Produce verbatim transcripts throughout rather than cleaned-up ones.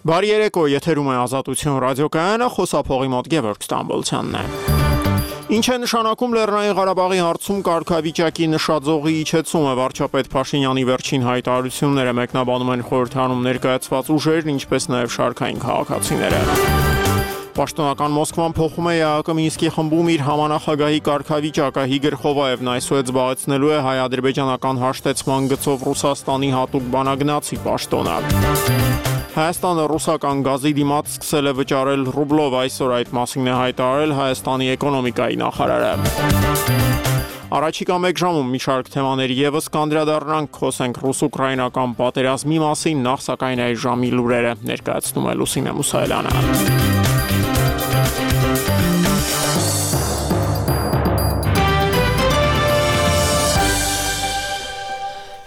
Բարի երեկո, եթերում է Ազատություն ռադիոկայանը, խոսափողի մոտ Գևորգ Ստամբոլցյանն է։ Ինչ է նշանակում Լեռնային Ղարաբաղի հարցում կարգավիճակի նշաձողի իջեցումը, վարչապետ Փաշինյանի վերջին հայտարարությունները մեկնաբանում են խորհրդանում ներկայացված ուժերն, ինչպես նաև շարքային քաղաքացիները։ Պաշտոնական Մոսկվան փոխում է ԵԱՀԿ Մինսկի խմբում իր համանախագահի կարգավիճակը, Իգոր Խովայևն այսօր զբաղեցնելու է հայ-ադրբեջանական հաշտեցման գծով Ռուսաստանի հատուկ բանագնացի պաշտոնը։ Հայաստանը ռուսական գազի դիմաց սկսել է վճարել ռուբլով, այսօր այդ մասին է հայտարարել Հայաստանի էկոնոմիկայի նախարարը։ Առաջիկա մեկ ժամում մի շարք թեմաների ևս կանդրադառնանք, խոսենք ռուս-ուկրաինական պատերազմի մասին, նախ սակայն այս ժամի լուրերը ներկայացնում է Լուսինե Մուսայելյանը։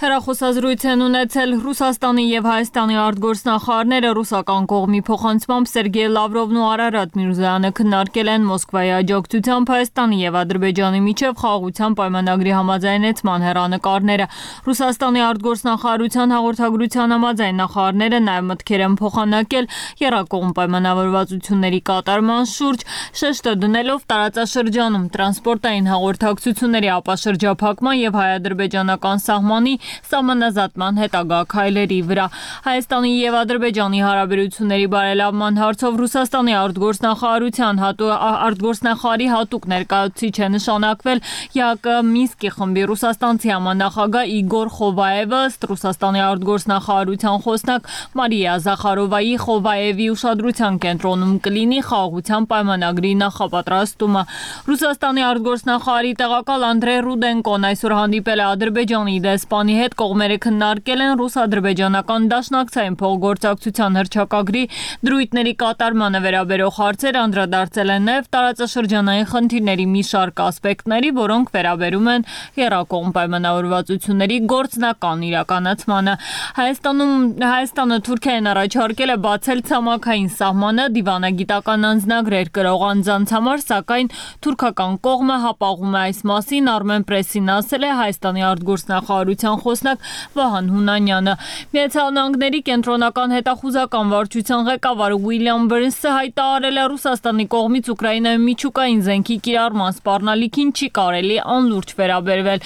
Հեռախոսազրույց են ունեցել Ռուսաստանի և Հայաստանի արտգործնախարարները, ռուսական կողմի փոխանցմամբ Սերգեյ Լավրովն ու Արարատ Միրզոյանը քննարկել են Մոսկվայի աջակցությամբ Հայաստանի և Ադրբեջանի միջև խաղաղության պայմանագրի համաձայնեցման հեռանկարները։ Ռուսաստանի արտգործնախարարության հաղորդագրության համաձայն նախարարները նաև մտքեր են փոխանակել եռակողմ պայմանավորվածությունների կատարման շուրջ, շեշտը դնելով տարածաշրջանում տրանսպորտային հաղորդակցությունների ապաշրջափակման և հայ-ադրբեջանական սահմանի սահմանազատման հետագա քայլերի վրա։ Հայաստանի և Ադրբեջանի հարաբերությունների բարելավման հարցով Ռուսաստանի արտգործնախարարության արտգործնախարարի հատուկ ներկայացուցիչ է նշանակվել ԵԱՀԿ Մինսկի խմբի ռուսաստանցի համանախագահ Իգոր Խովայևը, ըստ Ռուսաստանի արտգործնախարարության խոսնակ Մարիա Զախարովայի, Խովայևի ուշադրության կենտրոնում կլինի խաղաղության պայմանագրի նախապատրաստումը։ Ռուսաստանի արտգործնախարարի տեղակալ Անդրեյ Ռուդենկոն այսօր հանդիպել է Ադրբեջանի դեսպանի հետ, կողմերը քննարկել են ռուս-ադրբեջանական դաշնակցային փոխգործակցության հռչակագրի դրույթների կատարմանը վերաբերող հարցեր, անդրադարձել են նաև տարածաշրջանային խնդիրների մի շարք ասպեկտների, որոնք վերաբերում են եռակողմ պայմանավորվածությունների գործնական իրականացմանը։ Հայաստանում Հայաստանը Թուրքիային առաջարկել է բացել ցամաքային սահմանը դիվանագիտական անձնագրեր կրող անձանց համար, սակայն թուրքական կողմը հապաղում է այս մասին, Armen Press-ին ասել է Հայաստանի արտգործնախարարության խոսնակ Վահան Հունանյանը։ Միացյալ Նահանգների կենտրոնական հետախուզական վարչության ղեկավար Ուիլյամ Բըրնսը հայտարարել է Ռուսաստանի կողմից Ուկրաինայում միջուկային զենքի կիրառման սպառնալիքին չի կարելի անլուրջ վերաբերվել։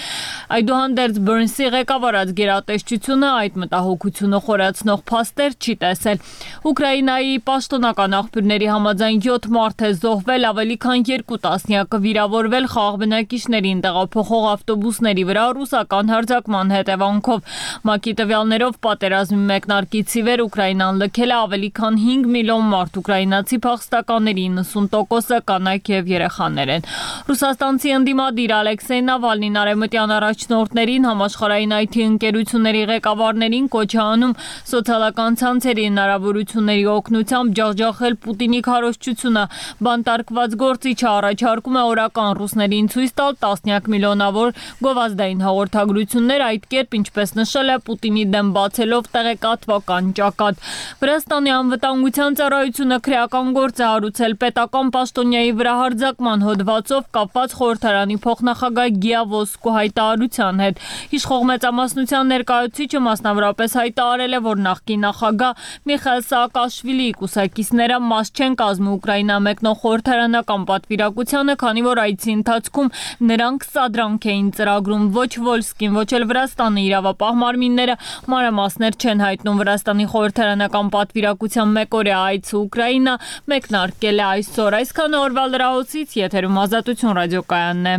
Այդուհանդերձ Բըրնսի ղեկավարած գերատեսչությունը այդ մտահոգությունը խորացնող փաստեր չի տեսել։ Ուկրաինայի պաշտոնական աղբյուրների համաձայն յոթ մարդ է զոհվել, ավելի քան երկու տասնյակը վիրավորվել խաղաղ բնակիչներին տեղափոխող ավտոբուսների վրա ռուսական հարձակման հետևանքով։ ՄԱԿ-ի տվյալներով պատերազմի մեկնարկից ի վեր Ուկրաինան լքել է ավելի քան հինգ միլիոն մարդ, ուկրաինացի փախստականների իննսուն տոկոսը կանայք և երեխաներ են։ Ռուսաստանցի ընդդիմադիր Ալեքսեյ Նավալնին արևմտյան առաջնորդներին, համաշխարհային այ թի ընկերությունների ղեկավարներին կոչ է անում սոցիալական ցանցերի հնարավորությունների օգնությամբ ջախջախել Պուտինի քարոզչությունը։ Բանտարկված գործիչը առաջարկում է օրական ռուսներին ցույց տալ տասնյակ միլիոնավոր գովազդային հաղորդագրություններ, այդ կերպ, ինչպես նշել է, Պուտինի դեմ բացելով տեղեկատվական ճակատ։ Վրաստանի անվտանգության ծառայությունը քրեական գործ է հարուցել պետական պաշտոնյայի վրա հարձակման հոդվածով կապված խորհրդարանի փոխնախագահ Գիա Ոսկու հայտարարության հետ։ Իշխող մեծամասնության ներկայացուցիչը մասնավորապես հայտարարել է, որ նախկին նախագահ Միխայիլ Սաակաշվիլիի կուսակիցները մաս չեն կազմի Ուկրաինա մեկնող խորհրդարանական պատվիրակությանը, քանի որ այցի ընթացքում նրանք սադրանք էին ծրագրում, ոչ Վոլսկին, ոչ էլ Վրաստանի իրավապահ մարմինները մանրամասներ չեն հայտնում։ Վրաստանի խորհրդարանական պատվիրակության մեկօրյա այցը Ուկրաինա մեկնարկել է այսօր։ Այսքանը օրվա լրահոսից, եթերում Ազատություն ռադիոկայանն է։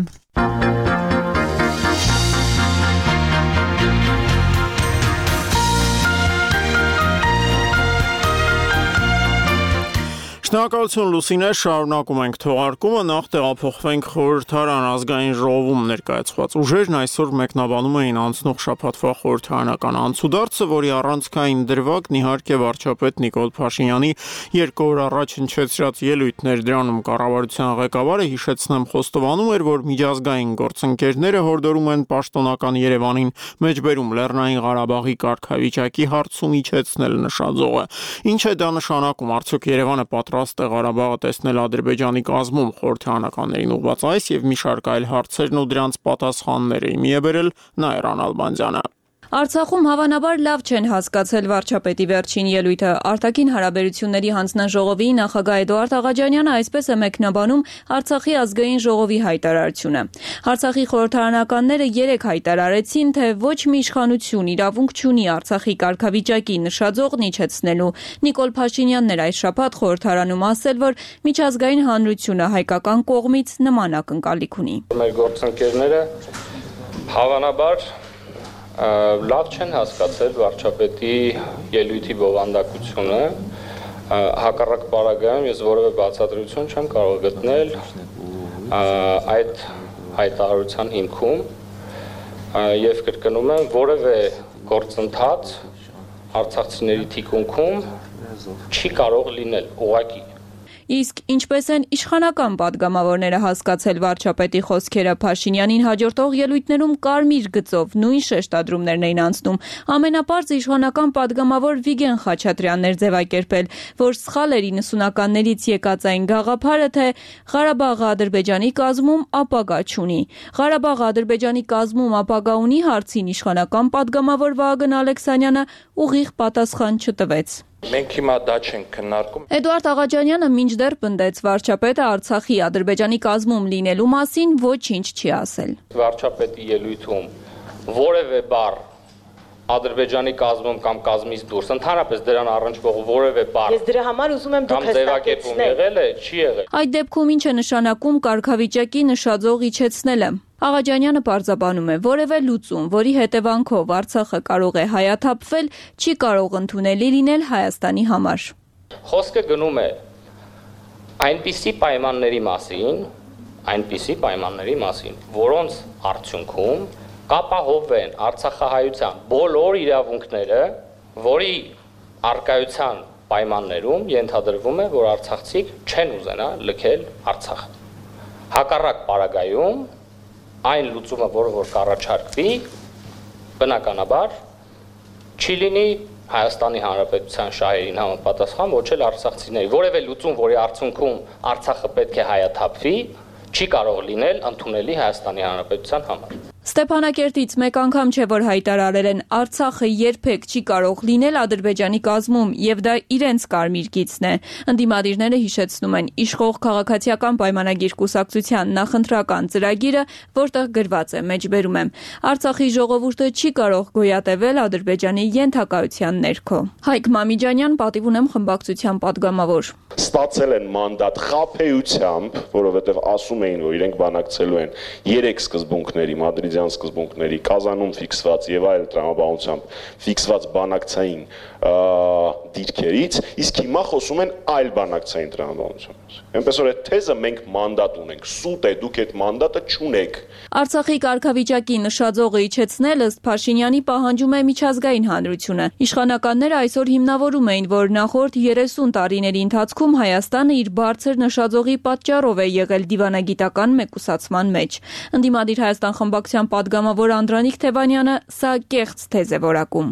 Շնորհակալություն Լուսինե, շարունակում ենք թողարկումը, նախ տեղափոխվենք խորհրդարան ազգային ժողովում ներկայացված ուժերն այսօր մեկնաբանում էին անցնող շաբաթվա խորհրդարանական անցուդարձը, որի առանցքային դրվագն իհարկե վարչապետ Նիկոլ Փաշինյանի երկու օր առաջ հնչեցրած ելույթներ, դրանում կառավարության ղեկավարը, հիշեցնեմ, խոստովանում էր, որ միջազգային գործընկերները հորդորում են պաշտոնական Երևանին մեջբերում Լեռնային Ղարաբաղի կարգավիճակի հարցում իջեցնել նշաձողը։ Ինչ է դա նշանակում, արդյոք Երևանը պատրաստ է Ղարաբաղը տեսնել Ադրբեջանի կազմում, խորհրդարանականներին ուղղված այս եւ մի շարք այլ հարցերն ու դրանց պատասխանները իմի է բերել Նաիրա Նալբանդյանը։ Արցախում հավանաբար լավ չեն հասկացել վարչապետի վերջին ելույթը։ Արտաքին հարաբերությունների հանձնաժողովի նախագահ Էդուարդ Աղաջանյանը այսպես է մեկնաբանում Արցախի ազգային ժողովի հայտարարությունը։ Արցախի խորհրդարանականները երեկ հայտարարեցին, թե ոչ մի իշխանություն իրավունք չունի Արցախի կարգավիճակի նշաձողն իջեցնելու։ Նիկոլ Փաշինյանն էր այս շաբաթ խորհրդարանում ասել, որ միջազգային հանրությունը հայկական կողմից նման ակնկալիք ունի։ Մեր գործընկերները հավանաբար լավ չեն հասկացել վարչապետի ելույթի բովանդակությունը, հակառակ պարագայում ես որևէ բացատրություն չեմ կարող գտնել այդ հայտարարության հիմքում եւ կրկնում եմ, որևէ գործընթաց արցախցիների թիկունքում չի կարող լինել ուղղակի։ Իսկ ինչպես են իշխանական падգամավորները հասկացել վարչապետի խոսքերը, Փաշինյանին հաջորդող ելույթներում կարմիր գծով նույն շեշտադրումներն էին անցնում։ Ամենապարզ իշխանական падգամավոր Վիգեն Խաչատրյանն էր ձևակերպել, որ սխալ էր իննսունականներից եկած այն գաղափարը, թե Ղարաբաղը Ադրբեջանի կազմում ապագա չունի։ Ղարաբաղը Ադրբեջանի կազմում ապագա ունի հարցին իշխանական падգամավոր Վահագն Ալեքսանյանը ուղիղ պատասխան չտվեց։ Մենք հիմա դա չենք քննարկում։ Էդուարդ Աղաջանյանը մինչդեռ պնդեց վարչապետը Արցախի Ադրբեջանի կազմում լինելու մասին ոչինչ չի ասել։ Վարչապետի ելույթում որևէ բառ Ադրբեջանի կազմում կամ կազմից դուրս, ընդհանրապես դրան առնչվող որևէ բառ։ Ես դրա համար ուզում եմ դուք հստակեցնել։ Եղել է, չի եղել։ Այդ դեպքում ինչ է նշանակում կարգավիճակի նշաձող իջեցնելը։ Աղաջանյանը պարզաբանում է, որևէ լուծում, որի հետևանքով Արցախը կարող է հայաթափվել, չի կարող ընդունելի լինել Հայաստանի համար։ Խոսքը գնում է այնպիսի պայմանների մասին, այնպիսի պայմանների մասին, որոնց արդյունքում կապահովեն արցախահայության բոլոր իրավունքները, որի արկայության պայմաններում ենթադրվում է, որ արցախցիք չեն ուզենա լքել Արցախը։ Հակառակ պարագայում այն լուծումը, որը որ կառաջարկվի, բնականաբար չի լինի Հայաստանի Հանրապետության շահերին համապատասխան, ոչ էլ արցախցիների։ Որևէ լուծում, որի արդյունքում Արցախը պետք է հայաթափվի, չի կարող լինել ընդունելի Հայաստանի Հանրապետության համար։ Ստեփանակերտից մեկ անգամ չէ, որ հայտարարել են Արցախը երբեք չի կարող լինել Ադրբեջանի կազմում եւ դա իրենց կարմիր գիծն է։ Ընդդիմադիրները հիշեցնում են իշխող քաղաքացիական պայմանագիր կուսակցության նախընտրական ծրագիրը, որտեղ գրված է, մեջբերում եմ. Արցախի ժողովուրդը չի կարող գոյատևել Ադրբեջանի ենթակայության ներքո։ Հայկ Մամիջանյան, պատիվ ունեմ խմբակցության падգամավոր։ Ստացել են մանդատ խաբեությամբ, որովհետև ասում էին, որ իրենք բանակցելու են երեք սկզբունքների, մադրիդյան սկզբունքների, Կազանում ֆիքսված եւ այլ տրամաբանությամբ ֆիքսված բանակցային դիրքերից, իսկ հիմա խոսում են այլ բանակցային տրամաբանությամբ։ Այնպես որ այդ թեզը մենք մանդատ ունենք, սուտ է, դուք այդ մանդատը չունեք։ Արցախի կարգավիճակի նշաձողը իջեցնել ըստ Փաշինյանի պահանջում է միջազգային հանրությունը։ Իշխանականները այսօր հիմնավորում էին, որ նախորդ երեսուն տարիների ընթացքում Հայաստանը իր բարձր նշաձողի պատճառով է եղել դիվանագիտական մեկուսացման մեջ։ Ընդդիմադիր Հայաստան խմբակցության падգամավոր Անդրանիկ Թևանյանը սա կեղծ թեզ է որակում։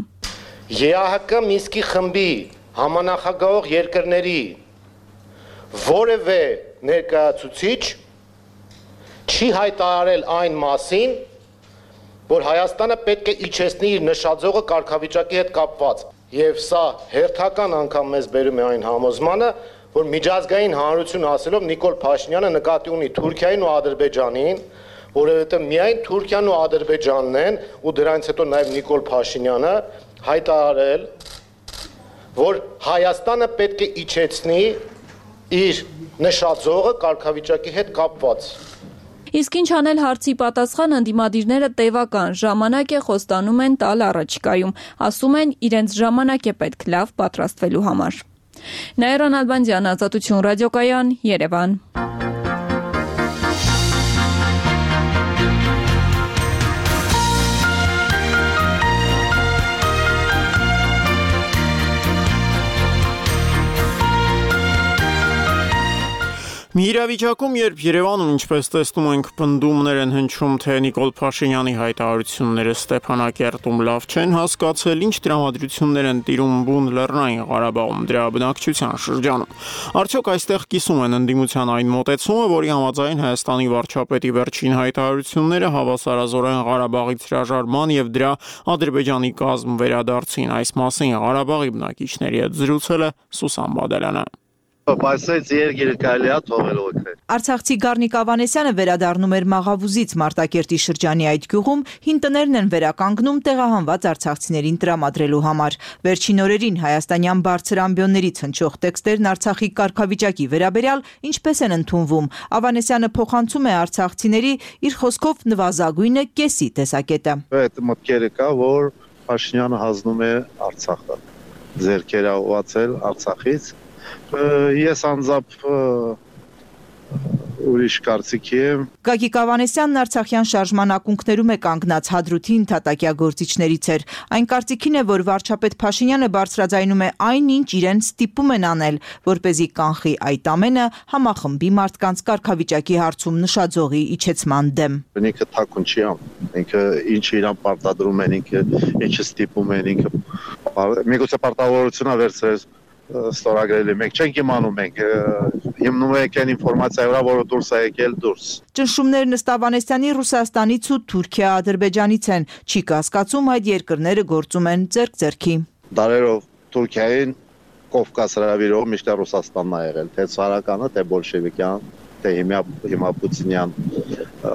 ԵԱՀԿ Մինսկի խմբի համանախագահող երկրների որևէ ներկայացուցիչ չի հայտարարել այն մասին, որ Հայաստանը պետք է իջեցնի իր նշաձողը կարգավիճակի հետ կապված։ Եվ սա հերթական անգամ մեզ բերում է այն համոզմանը, որ միջազգային հանրություն ասելով Նիկոլ Փաշինյանը նկատի ունի Թուրքիային ու Ադրբեջանին, որովհետև միայն Թուրքիան ու Ադրբեջանն են ու դրանից հետո նաև Նիկոլ Փաշինյանը հայտարարել, որ Հայաստանը պետք է իջեցնի իր նշաձողը կարգավիճակի հետ կապված։ Իսկ ինչ անել հարցի պատասխան ընդդիմադիրները տևական ժամանակ է խոստանում են տալ առաջիկայում, ասում են իրենց ժամանակ է պետք լավ պատրաստվելու համար։ Նաիրա Նալբանդյան, Ազատություն ռադիոկայան, Երևան։ Մի իրավիճակում, երբ Երևանում, ինչպես տեսնում ենք, պնդումներ են հնչում, թե Նիկոլ Փաշինյանի հայտարարությունները Ստեփանակերտում լավ չեն հասկացել, ինչ տրամադրություններ են տիրում բուն Լեռնային Ղարաբաղում դրա բնակչության շրջանում։ Արդյոք այստեղ կիսում են ընդդիմության այն մոտեցումը, որի համաձայն Հայաստանի վարչապետի վերջին հայտարարությունները հավասարազորեն Ղարաբաղից հրաժարման եւ դրա Ադրբեջանի կազմ վերադարձին։ Այս մասին Ղարաբաղի բնակիչների հետ զրուցել է Սուսան Բադալյանը։ Բայց երկիրը կարելի է թողել օգնել։ Արցախցի Գառնիկ Ավանեսյանը վերադառնում էր Մաղավուզից Մարտակերտի շրջանի այդ գյուղում, հին տներն են վերականգնում տեղահանված արցախցիներին տրամադրելու համար։ Վերջին օրերին հայաստանյան բարձր ամբիոններից հնչող տեքստերն Արցախի կարգավիճակի վերաբերյալ ինչպես են ընդունվում։ Ավանեսյանը փոխանցում է արցախցիների իր խոսքով նվազագույնը կեսի տեսակետը։ Այդ մտքերը կա, որ Փաշինյանը հանձնում է Արցախը, ձեռքերը ուղղացել Արցախից։ Ես անձամբ ուրիշ կարծիքի եմ։ Գագիկ Ավանեսյանն Արցախյան շարժման ակունքներում է կանգնած Հադրութի ընդհատակյա գործիչներից էր։ Այն կարծիքին է, որ վարչապետ Փաշինյանը բարձրաձայնում է այն, ինչ իրեն ստիպում են անել, որպեսզի կանխի այդ ամենը համախմբի մարդկանց կարգավիճակի հարցում նշաձողի իջեցման դեմ։ Ինքը թաքուն չի անում, ինքը ինչ իրան պարտադրում են, ինքը ինչը ստիպում են, ինքը միգուցե պարտավորությունա վերցրել ստորագրել է, մենք չենք իմանում, մենք հիմնում ենք այն ինֆորմացիա վրա, որը դուրս է եկել դուրս։ Ճնշումներն ըստ Ավանեսյանի Ռուսաստանից ու Թուրքիա, Ադրբեջանից են, չի կասկածում այդ երկրները գործում են ձեռք-ձեռքի։ Դարերով Թուրքիային Կովկաս հրավիրող միշտ Ռուսաստանն է եղել, թե ցարականը, թե բոլշևիկյան, թե հիմա Պուտինյան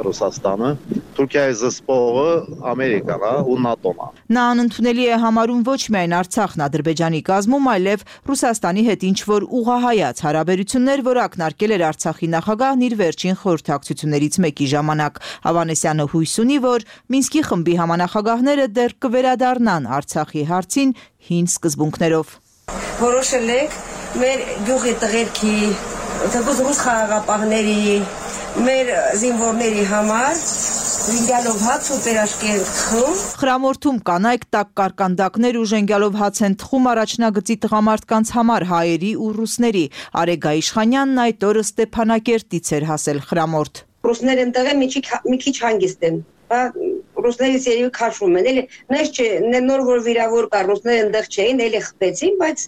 Ռուսաստանը, Թուրքիայի զսպողը Ամերիկան է ու ՆԱՏՕ-ն է։ Նա անընդունելի է համարում ոչ միայն Արցախն Ադրբեջանի կազմում, այլև Ռուսաստանի հետ ինչ-որ ուղղահայաց հարաբերություններ, որ ակնարկել էր Արցախի նախագահն իր վերջին խորհրդակցություններից մեկի ժամանակ։ Ավանեսյանը հույս ունի, որ Մինսկի խմբի համանախագահները դեռ կվերադառնան Արցախի հարցին հին սկզբունքներով։ Որոշել ենք մեր գյուղի տղերքի, թեկուզ ռուս խաղաղապահների, մեր զինվորների համար զինգալով հաց ու պերաշկի են թխում։ Խրամորթում կանայք տաք կարկանդակներ ու ժենգալով հաց են թխում առաջնագծի տղամարդկանց համար հայերի ու ռուսների։ Արեգա Իշխանյանն այդ օրը Ստեփանակերտից էր հասել խրամորթ։ Ռուսները ընդեղ մի քիչ հանգիստ են։ Ռուսներից երևի քաշում են, էլի նես չէ, նոր որ վիրավոր կա, ռուսները ընդեղ չէին, էլի խփեցին, բայց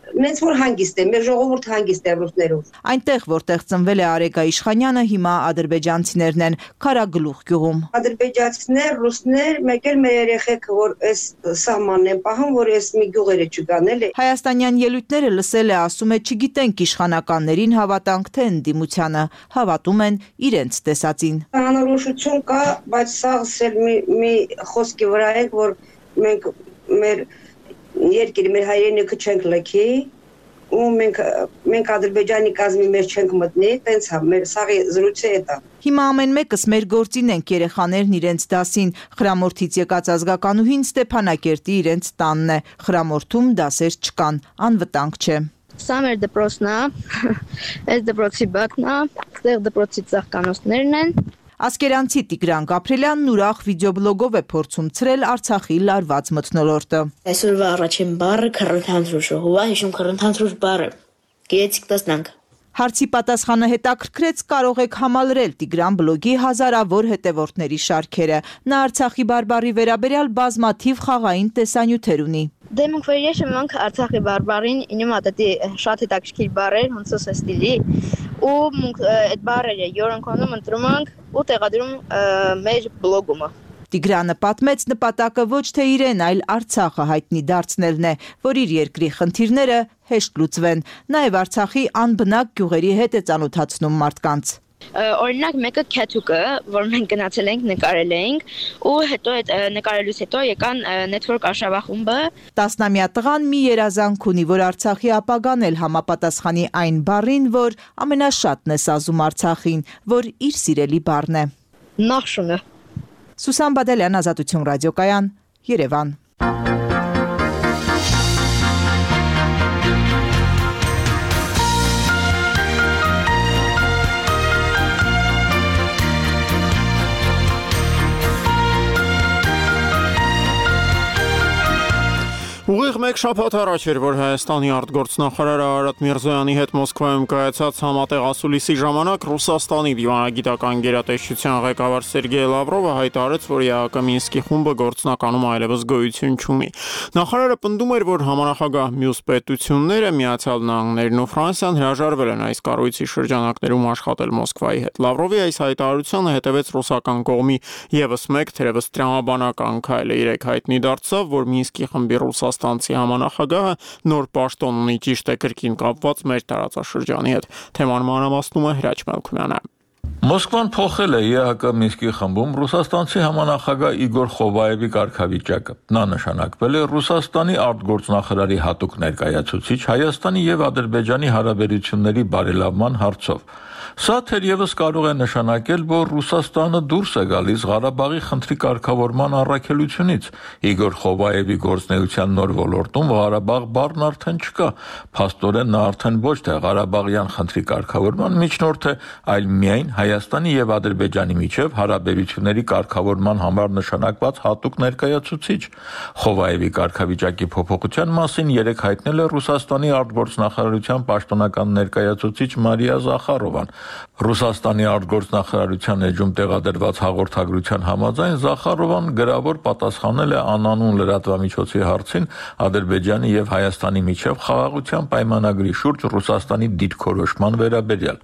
Մենք որ հանգիստ է, մեր ժողովուրդը հանգիստ է ռուսներով։ Այնտեղ, որտեղ ծնվել է Արեգա Իշխանյանը, հիմա ադրբեջանցիներն են Քարագլուխ գյուղում։ Ադրբեջանցիներ, ռուսներ, մեկ էլ մեր երեխեք, որ այս սահմանն են պահում, որ այս մի գյուղերը չգան, էլի։ Հայաստանյան ելույթները լսել է, ասում է, չգիտենք իշխանականներին հավատանք թե ընդդիմությանը, հավատում են իրենց տեսածին։ Անորոշություն կա, բայց սաղսել մի, մի խոսքի վրա ենք, որ մենք մեր երկիրը մեր հայրենիքը չենք լքի ու մենք մենք Ադրբեջանի կազմի մեջ չենք մտնի, տենց հա մեր սաղի զրույցը է դա։ Հիմա ամեն մեկս մեր գործին ենք, երեխաներն իրենց դասին, խրամորթից եկած ազգականուհին Ստեփանակերտի իրենց տանն է, խրամորթում դասեր չկան, անվտանգ չէ։ Սա մեր դպրոցն է, այս դպրոցի բակն է, այստեղ դպրոցի ծաղկանոցներն են։ Ասկերանցի Տիգրան Գաբրելյանն ուրախ վիդեոբլոգով է փորձում ցրել Արցախի լարված մթնոլորտը։ Այսօրվա առաջին բառը քռնթանթրուշը, հուվա հիշում քռնթանթրուշ բառը։ Գեցիկ տեսնանք։ Հարցի պատասխանը հետաքրքրեց, կարող եք համալրել Տիգրան բլոգի հազարավոր հետևորդների շարքերը։ Նա Արցախի բարբառի վերաբերյալ բազմաթիվ խաղային տեսանյութեր ունի։ Դե մենք վերյեշը մենք Արցախի բարբառին ինում ատետի շատ հետաքրքիր բառեր, ոնց է ստիլի, ու մենք այդ բառերը յորոնքոնում ընտրում ենք ու տեղադրում մեր բլոգումը։ Տիգրանը պատմեց, նպատակը ոչ թե իրեն, այլ Արցախը հայտնի դարձնելն է, որ իր երկրի խնդիրները հեշտ լուծվեն։ Նաև Արցախի անբնակ գյուղերի հետ է ծանոթացնում մարդկանց։ Օրինակ մեկը Քեթուկը, որ մենք գնացել ենք, նկարել էինք, ու հետո այդ նկարելուց հետո եկան Network Արշավա խումբը։ Տասնամյա տղան մի երազանք ունի, որ Արցախի ապագան էլ համապատասխանի այն բառին, որ ամենաշատն է սազում Արցախին, որ իր սիրելի բառն է։ Նախշունը։ Սուսան Բադալյան, Ազատություն ռադիոկայան, Երևան։ Ուղիղ մեր մեկ շաբաթ առաջ էր, որ Հայաստանի արտգործնախարար Արարատ Միրզոյանի հետ Մոսկվայում կայացած համատեղ ասուլիսի ժամանակ Ռուսաստանի դիվանագիտական գերատեսչության ղեկավար Սերգեյ Լավրովը հայտարարեց, որ ԵԱՀԿ Մինսկի խումբը գործնականում այլևս գոյություն չունի։ Նախարարը պնդում էր, որ համանախագահ մյուս պետությունները, Միացյալ Նահանգներն ու Ֆրանսիան հրաժարվել են այս կառույցի շրջանակներում աշխատել Մոսկվայի հետ։ Լավրովի այս հայտարարությանը հետևեց ռուսական կողմի ևս մեկ թերևս տրամաբանական քայլ։ Երեք հայտնի դարձավ, որ Մինսկի խմբի ռուսաստանցի համանախագահը նոր պաշտոն ունի, ճիշտ է, կրկին կապված մեր տարածաշրջանի հետ։ Թեման մանրամասնում է Հրաչ Մելքումյանը։ Մոսկվան փոխել է ԵԱՀԿ Մինսկի խմբում ռուսաստանցի համանախագահ Իգոր Խովայևի կարգավիճակը։ Նա նշանակվել է Ռուսաստանի արտգործնախարարի հատուկ ներկայացուցիչ Հայաստանի եւ Ադրբեջանի հարաբերությունների բարելավման հարցով։ Սա թերևս կարող է նշանակել, որ Ռուսաստանը դուրս է գալիս Ղարաբաղի խնդրի կարգավորման առաքելությունից։ Իգոր Խովայևի գործնեության նոր ոլորտում Ղարաբաղ բառն արդեն չկա։ Փաստորեն նա արդեն ոչ թե Ղարաբաղյան խնդրի կարգավորման միջնորդ է, այլ միայն Հայաստանի եւ Ադրբեջանի միջև հարաբերությունների կարգավորման համար նշանակված հատուկ ներկայացուցիչ։ Խովայևի կարգավիճակի փոփոխության մասին երեք հայտնել է Ռուսաստանի արտգործնախարարության պաշտոնական ներկայացուցիչ Մարիա Զախարովան։ Ռուսաստանի արտգործնախարարության էջում տեղադրված հաղորդագրության համաձայն Զախարովան գրավոր պատասխանել է անանուն լրատվամիջոցի հարցին Ադրբեջանի եւ Հայաստանի միջև խաղաղության պայմանագրի շուրջ Ռուսաստանի դիրքորոշման վերաբերյալ։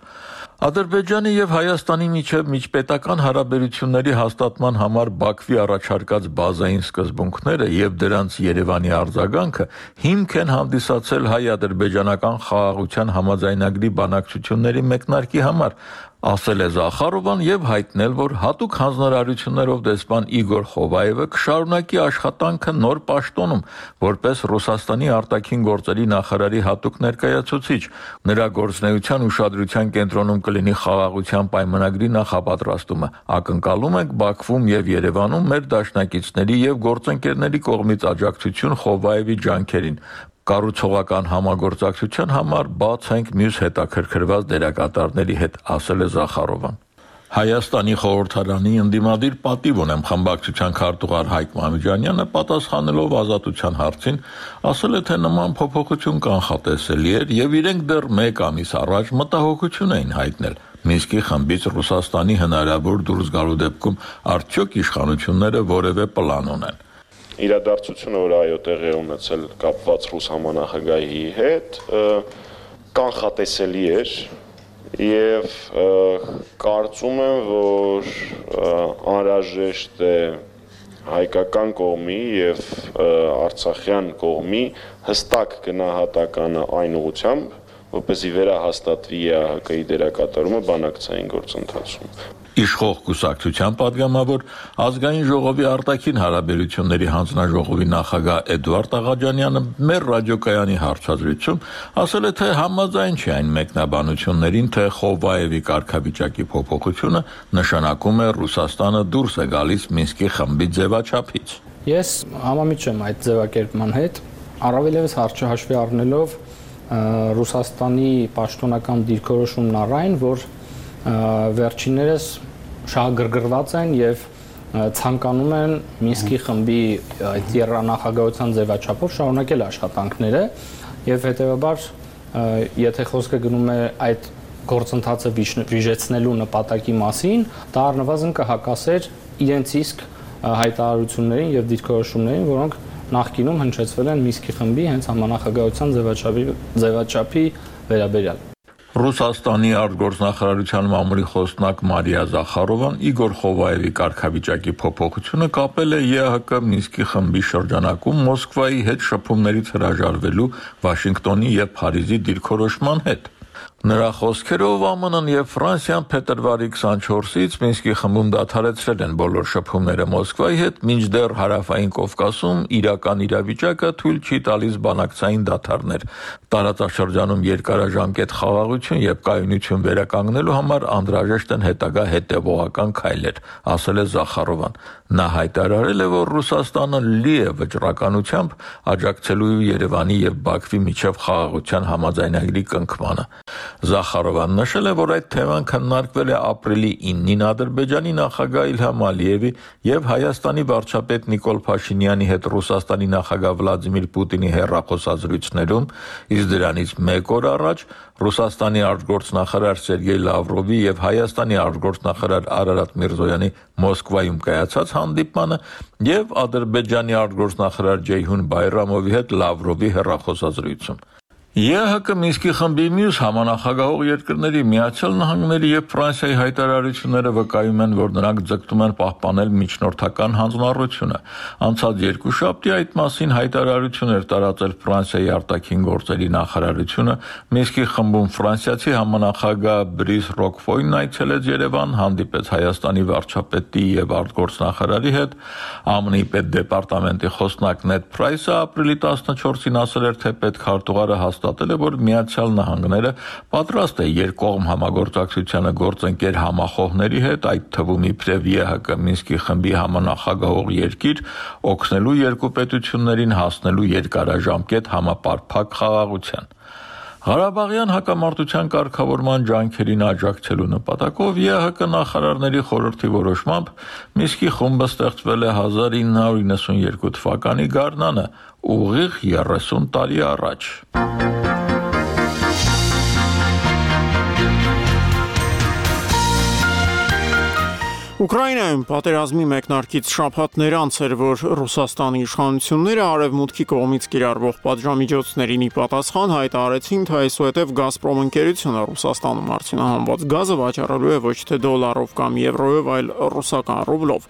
Ադրբեջանի եւ Հայաստանի միջև միջպետական հարաբերությունների հաստատման համար Բաքվի առաջարկած բազային սկզբունքները եւ դրանց Երևանի արձագանքը հիմք են հանդիսացել հայ-ադրբեջանական խաղաղության համաձայնագրի բանակցությունների մեկնարկի համար, ասել է Զախարովան եւ հայտնել, որ հատուկ հանձնարարություններով դեսպան Իգոր Խովայևը կշարունակի աշխատանքը նոր պաշտոնում, որպես Ռուսաստանի արտաքին գործերի նախարարի հատուկ ներկայացուցիչ։ Նրա գործնեության ուշադրության կենտրոնում կլինի խաղաղության պայմանագրի նախապատրաստումը։ Ակնկալում ենք Բաքվում եւ Երևանում մեր դաշնակիցների եւ գործընկերների կողմից աջակցություն Խովայևի ջանքերին։ Կառուցողական համագործակցության համար բաց ենք մյուս հետաքրքրված դերակատարների հետ, ասել է Զախարովան։ Հայաստանի խորհրդարանի ընդդիմադիր պատիվ ունեմ խմբակցության քարտուղար Հայկ Մամիջանյանը պատասխանելով ազատության հարցին ասել է, թե նման փոփոխություն կանխատեսելի էր եւ իրենք դեռ մեկ ամիս առաջ մտահոգություն էին հայտնել Մինսկի խմբից Ռուսաստանի հնարավոր դուրս գալու դեպքում արդյոք իշխանությունները որևէ պլան ունեն։ Իրադարձությունը, որ այո տեղի ունեցել կապված ռուս համանախագահի հետ, կանխատեսելի էր եւ կարծում եմ, որ անհրաժեշտ է հայկական կողմի եւ արցախյան կողմի հստակ գնահատականը այն ուղղությամբ, որպեսզի վերահաստատվի ԵԱՀԿ-ի դերակատարումը բանակցային գործընթացում։ Իշխող կուսակցության падգամավոր ազգային ժողովի արտաքին հարաբերությունների հանձնաժողովի նախագահ Էդվարդ Աղաջանյանը մեր ռադիոկայանի հարցազրույցում ասել է, թե համաձայն չի այն մեկնաբանություններին, թե Խովայևի կարգավիճակի փոփոխությունը նշանակում է Ռուսաստանը դուրս է գալիս Մինսկի խմբի ձևաչափից։ Ես համամիջ եմ այդ ձևակերպման հետ, առավելևս հարցը հաշվի առնելով Ռուսաստանի պաշտոնական դիրքորոշումն առայն, որ վերջիններս շահագրգռված են եւ ցանկանում են Մինսկի խմբի այդ եռանախագահության ձևաչափով շարունակել աշխատանքները եւ հետեւաբար եթե խոսքը գնում է այդ գործընթացը վիժեցնելու նպատակի մասին, դա առնվազն կհակասեր իրենց իսկ հայտարարություններին եւ դիրքորոշումներին, որոնք նախկինում հնչեցվել են Մինսկի խմբի հենց համանախագահության ձևաչափի ձևաչափի վերաբերյալ։ Ռուսաստանի արտգործնախարարության մամուլի խոսնակ Մարիա Զախարովան Իգոր Խովայևի կարգավիճակի փոփոխությունը կապել է ԵԱՀԿ Մինսկի խմբի շրջանակում Մոսկվայի հետ շփումներից հրաժարվելու Վաշինգտոնի եւ Փարիզի դիրքորոշման հետ։ Նրա խոսքերով ԱՄՆ-ն եւ Ֆրանսիան փետրվարի քսանչորսից Մինսկի խմբում դադարեցրել են բոլոր շփումները Մոսկվայի հետ, մինչդեռ Հարավային Կովկասում իրական իրավիճակը թույլ չի տալիս բանակցային դադարներ։ Տարածաշրջանում երկարաժամկետ խաղաղություն եւ կայունություն վերականգնելու համար անհրաժեշտ են հետագա հետեւողական քայլեր, ասել է Զախարովան։ Նա հայտարարել է, որ Ռուսաստանը լի է վճռականությամբ աջակցելու Երևանի եւ Բաքվի միջև խաղաղության համաձայնագրի կնքմանը։ Զախարովան նշել է, որ այդ թեման քննարկվել է ապրիլի իննին Ադրբեջանի նախագահ Իլհամ Ալիևի եւ Հայաստանի վարչապետ Նիկոլ Փաշինյանի հետ Ռուսաստանի նախագահ Վլադիմիր Պուտինի հեռախոսազրույցներում, իսկ դրանից մեկ օր առաջ Ռուսաստանի արտգործնախարար Սերգեյ Լավրովի եւ Հայաստանի արտգործնախարար Արարատ Միրզոյանի Մոսկվայում կայացած հանդիպմանը եւ Ադրբեջանի արտգործնախարար Ջեյհուն Բայրամովի հետ Լավրովի հեռախոսազրույցում։ ԵՀԿ Մինսկի խմբի մյուս համանախագահող երկրների Միացյալ Նահանգների եւ Ֆրանսիայի հայտարարությունները վկայում են, որ նրանք ձգտում են պահպանել միջնորդական հանձնառությունը։ Անցած երկուշաբթի այդ մասին հայտարարություն էր տարածել Ֆրանսիայի արտաքին գործերի նախարարությունը, Մինսկի խմբում ֆրանսիացի համանախագահ Բրիս Ռոկֆոյն այցելեց Երևան, հանդիպեց Հայաստանի վարչապետի եւ արտգործնախարարի հետ, ԱՄՆ-ի պետդեպարտամենտի խոսնակ Նեդ Փրայսը ապրիլի տասնչորսին ասել էր, թե պետքարտուղարը հաստատել է, որ Միացյալ Նահանգները պատրաստ է երկկողմ համագործակցությանը գործընկեր համախոհների հետ, այդ թվում իբրև ԵՀԿ Մինսկի խմբի համանախագահող երկիր, օգնելու երկու պետություններին հասնելու երկարաժամկետ համապարփակ խաղաղության։ Ղարաբաղյան հակամարտության կարգավորման ջանքերին աջակցելու նպատակով ԵՀԿ նախարարների խորհրդի որոշմամբ Մինսկի խումբը ստեղծվել է հազար ինը հարյուր իննսունյերկու թվականի գարնանը, ուղիղ երեսուն տարի առաջ։ Ուկրաինայում պատերազմի մեկնարկից շաբաթներ անց էր, որ Ռուսաստանի իշխանությունները արևմուտքի կողմից կիրառվող պատժամիջոցներին ի պատասխան հայտարարեցին, թե այսուհետև Գազպրոմ ընկերությունը Ռուսաստանում արդյունահանված գազը վաճառելու է ոչ թե դոլարով կամ եվրոյով, այլ ռուսական ռուբլով։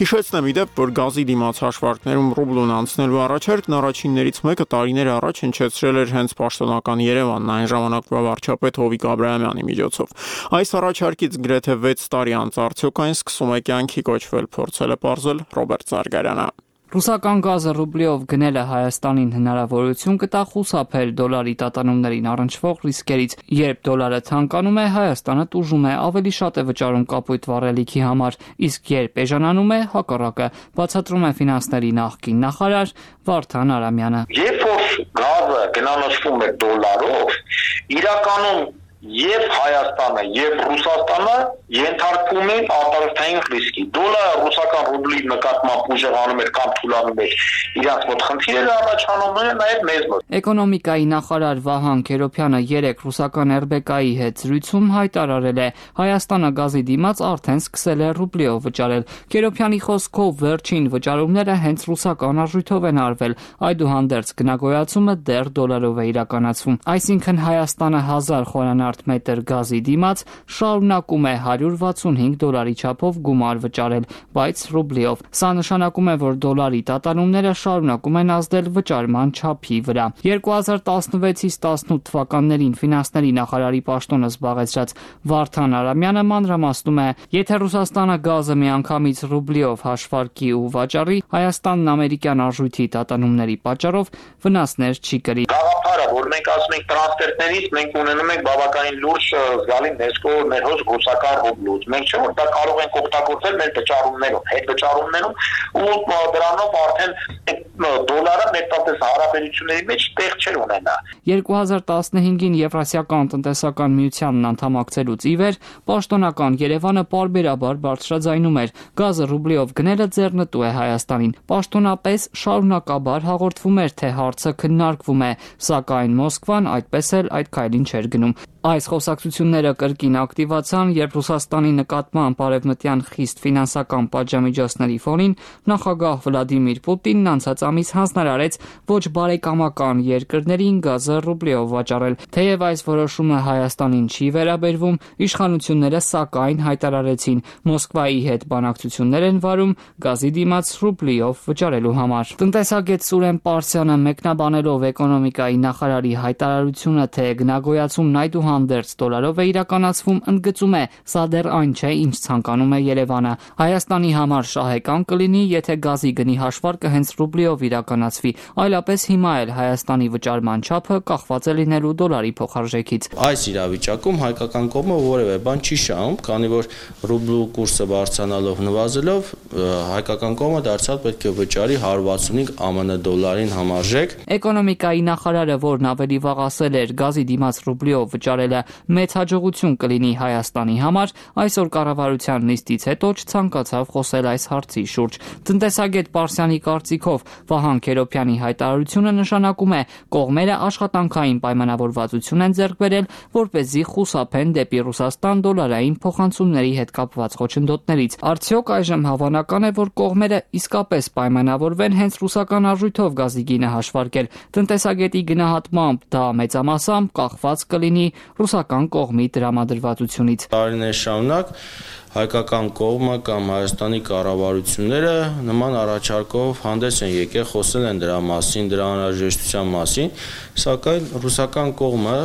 Հիշեցնեմ ի դեպ, որ գազի դիմաց հաշվարկներում ռուբլուն անցնելու առաջարկն առաջիններից մեկը տարիներ առաջ հնչեցրել էր հենց պաշտոնական Երևանն, այն ժամանակվա վարչապետ Հովիկ Աբրահամյանի միջոցով։ Այս առաջարկից գրեթե վեց տարի անց արդյոք այն սկսում է կյանքի կոչվել, փորձել է պարզել Ռոբերտ Զարգարյանը։ Ռուսական գազը ռուբլիով գնելը Հայաստանին հնարավորություն կտա խուսափել դոլարի տատանումներին առնչվող ռիսկերից, երբ դոլարը թանկանում է, Հայաստանը տուժում է, ավելի շատ է վճարում կապույտ վառելիքի համար, իսկ երբ էժանանում է, հակառակը, բացատրում է ֆինանսների նախկին նախարար Վարդան Արամյանը։ Երբ որ գազը գնանշվում է դոլարով, իրականում Եվ Հայաստանը, եւ Ռուսաստանը ենթարկվում են արտարժութային ռիսկի։ Դոլարը ռուսական ռուբլի նկատմամբ ուժեղանում էր կամ թուլանում էր, իրանց մոտ խնդիրները առաջանում են նաեւ մեզ մոտ։ Էկոնոմիկայի նախարար Վահան Քերոփյանը երեք ռուսական эр բի կա-ի հետ զրույցում հայտարարել է, Հայաստանը գազի դիմաց արդեն սկսել է ռուբլիով վճարել։ Քերոփյանի խոսքով վերջին վճարումները հենց ռուսական արժույթով են արվել, այդուհանդերձ գնագոյացումը դեռ դոլարով է իրականացվում։ Այսինքն Հայաստանը հազար խորանարդ մետր գազի դիմաց շարունակում է հարյուր վաթսունհինգ դոլարի չափով գումար վճարել, բայց ռուբլիով։ Սա նշանակում է, որ դոլարի տատանումները շարունակում են ազդել վճարման չափի վրա։ երկու հազար տասնվեցից տասնութ թվականներին ֆինանսների նախարարի պաշտոնը զբաղեցրած Վարդան Արամյանը մանրամասնում է, եթե Ռուսաստանը գազը միանգամից ռուբլիով հաշվարկի ու վաճառի, Հայաստանն ամերիկյան արժույթի տատանումների պատճառով վնասներ չի կրի։ Գաղափարը, որ մենք ասում ենք տրանսֆերտներից, մենք ունենում ենք բավականին լուրջ զգալի ներսկո ներհոս ռուսական ռուբլուց։ Մենք չէ որ դա կարող ենք օգտագործել մեր վճարումներում, հետ վճարումներում ու դրանով արդեն դոլարը մեր հարաբերությունների մեջ տեղ չէր ունենա։ երկու հազար տասնհինգին Եվրասիական տնտեսական միությանն անդամակցելուց ի վեր պաշտոնական Երևանը պարբերաբար բարձրաձայնում էր, գազը ռուբլիով գնելը ձեռնտու է Հայաստանին։ Պաշտոնապես շարունակաբար հաղորդվում էր, թե հարցը քննարկվում է, սակայն Մոսկվան այդպես էլ այդ քայլին չէր գնում։ Այս խոսակցությունները կրկին ակտիվացան, երբ Ռուսաստանի նկատմամբ արևմտյան խիստ ֆինանսական պատժամիջոցների ֆոնին նախագահ Վլադիմիր Պուտինն անցած ամիս հանձնարարեց ոչ բարեկամական երկրներին գազը ռուբլիով վաճառել։ Թեև այս որոշումը Հայաստանին չի վերաբերվում, իշխանությունները սակայն հայտարարեցին Մոսկվայի հետ բանակցություններ են վարում գազի դիմաց ռուբլիով վճարելու համար։ Տնտեսագետ Սուրեն Պարսյանը մեկնաբանելով էկոնոմիկայի նախարարի հայտարարությունը, թե գնագոյացումն այդուհանդերձ դոլարով է իրականացվում, ընդգծում է, սա դեռ այն չէ, ինչ ցանկանում է Երևանը։ Հայաստանի համար շահեկան կլինի, եթե գազի գնի հաշվարկը հենց ռուբլիով իրականացվի, այլապես հիմա էլ Հայաստանի վճարման չափը կախված է լինելու դոլարի փոխարժեքից։ Այս իրավիճակում հայկական կողմը որևէ բան չի շահում, քանի որ ռուբլու կուրսը բարձրանալով նվազելով հայկական կողմը դարձյալ պետք է վճարի հարյուր վաթսունհինգ ԱՄՆ դոլարին համարժեք։ Էկոնոմիկայի նախարարը, որն ավելի վաղ ասել էր գազի դիմաց ռուբլիով վճարել վճարելը մեծ հաջողություն կլինի Հայաստանի համար, այսօր կառավարության նիստից հետո չցանկացավ խոսել այս հարցի շուրջ։ Տնտեսագետ Պարսյանի կարծիքով Վահան Քերոբյանի հայտարարությունը նշանակում է կողմերը աշխատանքային պայմանավորվածություն են ձեռք բերել, որպեսզի խուսափեն դեպի Ռուսաստան դոլարային փոխանցումների հետ կապված խոչընդոտներից։ Արդյոք այժմ հավանական է, որ կողմերը իսկապես պայմանավորվեն հենց ռուսական արժույթով գազի գինը հաշվարկել։ Տնտեսագետի գնահատմամբ դա մեծամասամբ կախված կլինի ռուսական կողմի տրամադրվածությունից։ Տարիներ շարունակ հայկական կողմը կամ Հայաստանի կառավարությունները նման առաջարկով հանդես են եկել, խոսել են դրա մասին, դրա անհրաժեշտության մասին, սակայն ռուսական կողմը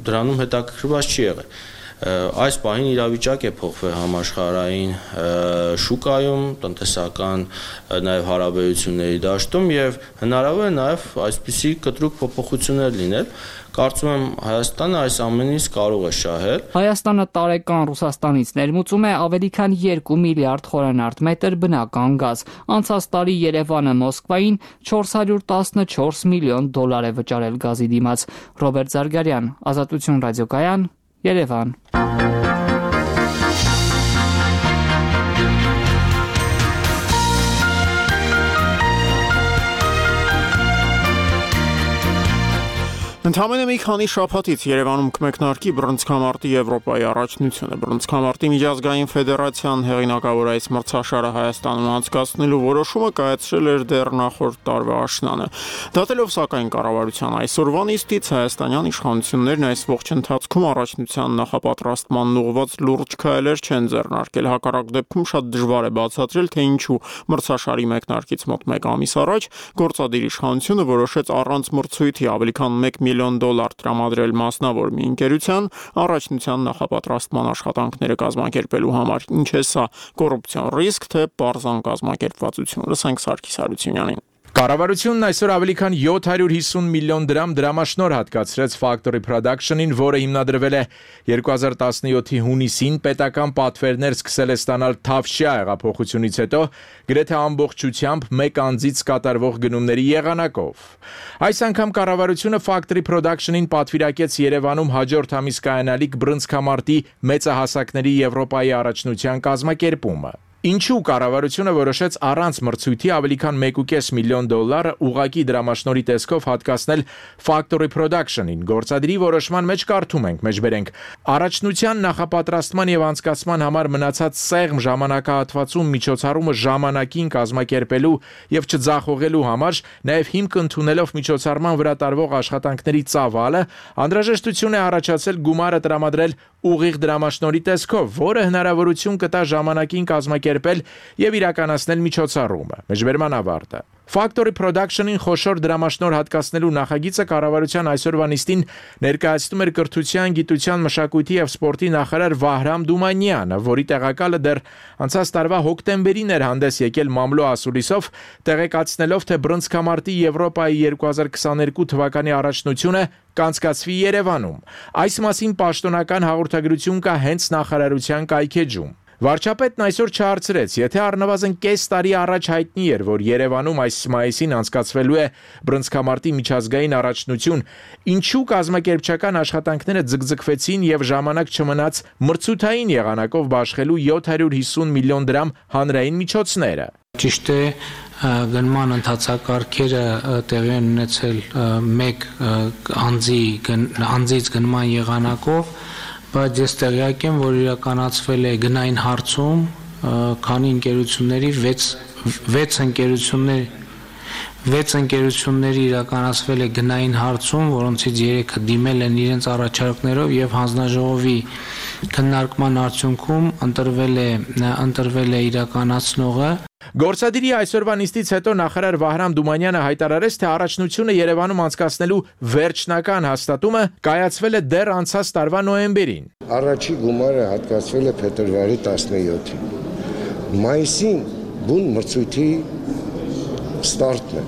դրանում հետաքրքրված չի եղել։ Այս պահին իրավիճակ է փոխվել համաշխարհային շուկայում, տնտեսական նաև հարաբերությունների դաշտում եւ հնարավոր է նաև այսպիսի կտրուկ փոփոխություններ լինել։ Կարծում եմ Հայաստանը այս ամենից կարող է շահել։ Հայաստանը տարեկան Ռուսաստանից ներմուծում է ավելի քան երկու միլիարդ խորանարդ մետր բնական գազ։ Անցած տարի Երևանը Մոսկվային չորս հարյուր տասնչորս միլիոն դոլար է վճարել գազի դիմաց։ Ռոբերտ Զարգարյան, Ազատություն ռադիոկայան, Երևան։ Ընդամենը մի քանի շաբաթից Երևանում կմեկնարկի բռնցքամարտի Եվրոպայի առաջնությունը։ Բռնցքամարտի միջազգային ֆեդերացիան հեղինակավոր այս մրցաշարը Հայաստանում անցկացնելու որոշումը կայացրել էր դեռ նախորդ տարվա աշնանը։ Դատելով սակայն կառավարության այսօրվա նիստից հայաստանյան իշխանություններն այս ողջ ընթացքում առաջնության նախապատրաստման ուղղված լուրջ քայլեր չեն ձեռնարկել։ Հակառակ դեպքում շատ դժվար է բացատրել, թե ինչու մրցաշարի մեկնարկից մոտ մեկ ամիս առաջ գործադիր իշխանությունը որոշեց առանց մրցույթի ավելի քան մեկ միլիոն դոլար տրամադրել մասնավոր մի ընկերության առաջնության նախապատրաստման աշխատանքները կազմակերպելու համար։ Ինչ է սա, կոռուպցիոն ռիսկ, թե պարզան կազմակերպվածություն։ Լսենք Սարգիս Հարությունյանին։ Կառավարությունն այսօր ավելի քան յոթ հարյուր հիսուն միլիոն դրամ դրամաշնոր հատկացրեց Factory Production-ին, որը հիմնադրվել է երկու հազար տասնյոթի հունիսին, պետական պատվերներ սկսել է ստանալ Թավշյա հեղափոխությունից հետո, գրեթե ամբողջությամբ մեկ անձից կատարվող գնումների եղանակով։ Այս անգամ կառավարությունը Factory Production-ին պատվիրակեց Երևանում հաջորդ ամիս կայանալիք բռնցքամարտի մեծահասակների Եվրոպայի առաջնության կազմակերպումը։ Ինչու կառավարությունը որոշեց առանց մրցույթի ավելի քան մեկ ու կես միլիոն դոլար ուղղակի դրամաշնորհի տեսքով հատկացնել Factory Production-ին։ Գործադրի որոշման մեջ կարդում ենք, մեջբերենք, առաջնության նախապատրաստման եւ անցկացման համար մնացած սեղմ ժամանակահատվածում միջոցառումը ժամանակին կազմակերպելու եւ չձախողելու համար, նաեւ հիմք ընդունելով միջոցառման վրա տարվող աշխատանքների ծավալը, անհրաժեշտություն է առաջացել գումարը տրամադրել ուղիղ դրամաշնորհի տեսքով, որը հնարավորություն կտա ժամանակին կազմակերպել եւ իրականացնել միջոցառումը։ Մեջբերման ավարտը։ Factory Production-ին խոշոր դրամաշնորհ հատկացնելու նախագիծը կառավարության այսօրվա նիստին ներկայացնում էր կրթության, գիտության, մշակույթի եւ սպորտի նախարար Վահրամ Դումանյանը, որի տեղակալը դեռ անցած տարվա հոկտեմբերին էր հանդես եկել մամլո ասուլիսով, տեղեկացնելով, թե բռնցքամարտի Եվրոպայի երկու հազար քսաներկու թվականի առաջնությունը կանցկացվի Երևանում։ Այս մասին պաշտոնական հաղորդագրություն կա հենց նախարարության կայքեջում։ Վարչապետն այսօր չհարցրեց, եթե առնվազն կես տարի առաջ հայտնի էր, որ Երևանում այս մայիսին անցկացվելու է բռնցքամարտի միջազգային առաջնություն, ինչու կազմակերպչական աշխատանքները ձգձգվեցին եւ ժամանակ չմնաց մրցութային եղանակով բաշխելու յոթ հարյուր հիսուն միլիոն դրամ հանրային միջոցները։ Ճիշտ է, գնման ընթացակարգերը տեղի են ունեցել մեկ անձի անձից գնման եղանակով, բայց ես տեղյակ եմ, որ իրականացվել է գնային հարցում, քանի ընկերությունների վեց ընկերությունների վեց ընկերությունների իրականացվել է գնային հարցում, որոնցից երեքը դիմել են իրենց առաջարկներով եւ հանձնաժողովի քննարկման արդյունքում ընտրվել է ընտրվել է իրականացնողը։ Գործադիրի այսօրվա նիստից հետո նախարար Վահրամ Դումանյանը հայտարարեց, թե առաջնությունը Երևանում անցկացնելու վերջնական հաստատումը կայացվել է դեռ անցած տարվա նոյեմբերին։ Առաջի գումարը հատկացվել է փետրվարի տասնյոթին։ Մայիսին բուն մրցույթի ստարտն է։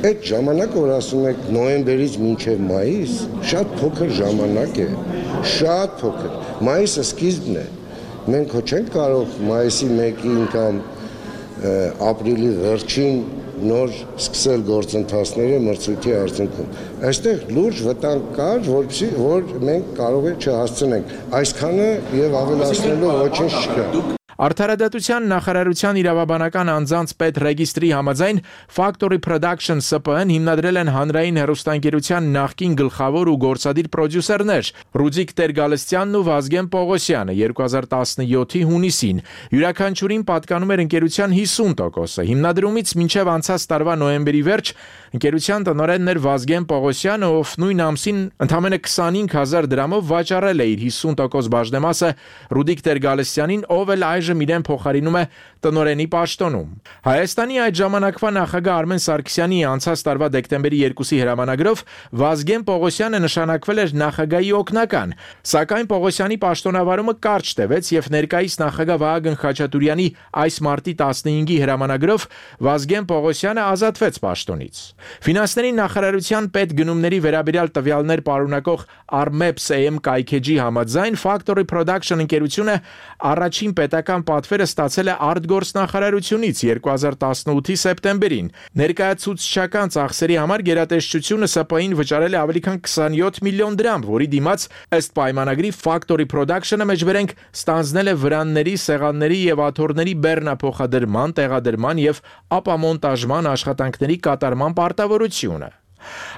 Այդ ժամանակը, որ ասում եք նոյեմբերից մինչև մայիս, շատ փոքր ժամանակ է, շատ փոքր։ Մայիսը սկիզբն է։ Մենք ոչ չենք կարող մայիսի մեկին կամ ապրիլի վերջին նոր սկսել գործընթացները մրցույթի արդյունքում։ Այստեղ լուրջ վտանգ կար, որպեսզի որ մենք կարող է չհասցնենք այսքանը եւ ավելացնելու ոչինչ չկա։ Արդարադատության նախարարության իրավաբանական անձանց պետ ռեգիստրի համաձայն Factory Production S P N հիմնադրել են հանրային հեռուստաընկերության նախկին գլխավոր ու գործադիր պրոդյուսերներ Ռուդիկ Տեր-Գալստյանն ու Վազգեն Պողոսյանը երկու հազար տասնյոթի հունիսին։ Յուրաքանչյուրին պատկանում էր ընկերության հիսուն տոկոսը։ Հիմնադրումից մինչև անցած տարվա նոյեմբերի վերջ ընկերության տնօրենն էր Վազգեն Պողոսյանը, ով նույն ամսին ընդամենը քսանհինգ հազար դրամով վաճառել է իր հիսուն տոկոս բաժնեմասը Ռուդիկ Տեր-Գալստյանին, ով էլ այժմ իրեն փոխարինում է տնօրենի պաշտոնում։ Հայաստանի այդ ժամանակվա նախագահ Արմեն Սարգսյանի անցած տարվա դեկտեմբերի երկուսի հրամանագրով Վազգեն Պողոսյանը նշանակվել էր նախագահի օգնական, սակայն Պողոսյանի պաշտոնավարումը կարճ տևեց եւ ներկայիս նախագահ Վահագն Խաչատուրյանի այս մարտի տասնհինգի հրամանագրով Վազգեն Պողոսյանը ազատվեց պաշտոնից։ Ֆինանսների նախարարության պետգնումների վերաբերյալ տվյալներ պարունակող Armeps A M կայքեջի համաձայն Factory Production ընկերությունը առաջին պետական պատվերը ստացել է արտգործնախարարությունից երկու հազար տասնութի սեպտեմբերին։ Ներկայացուցչական ծախսերի համար գերատեսչությունը S P I-ին վճարել է ավելի քան քսանյոթ միլիոն դրամ, որի դիմաց ըստ պայմանագրի Factory Production-ը մեջբերենք ստանձնել է վրանների, սեղանների եւ աթոռների բեռնափոխադրման, տեղադրման եւ ապամոնտաժման աշխատանքների կատարման պարտավորությունը։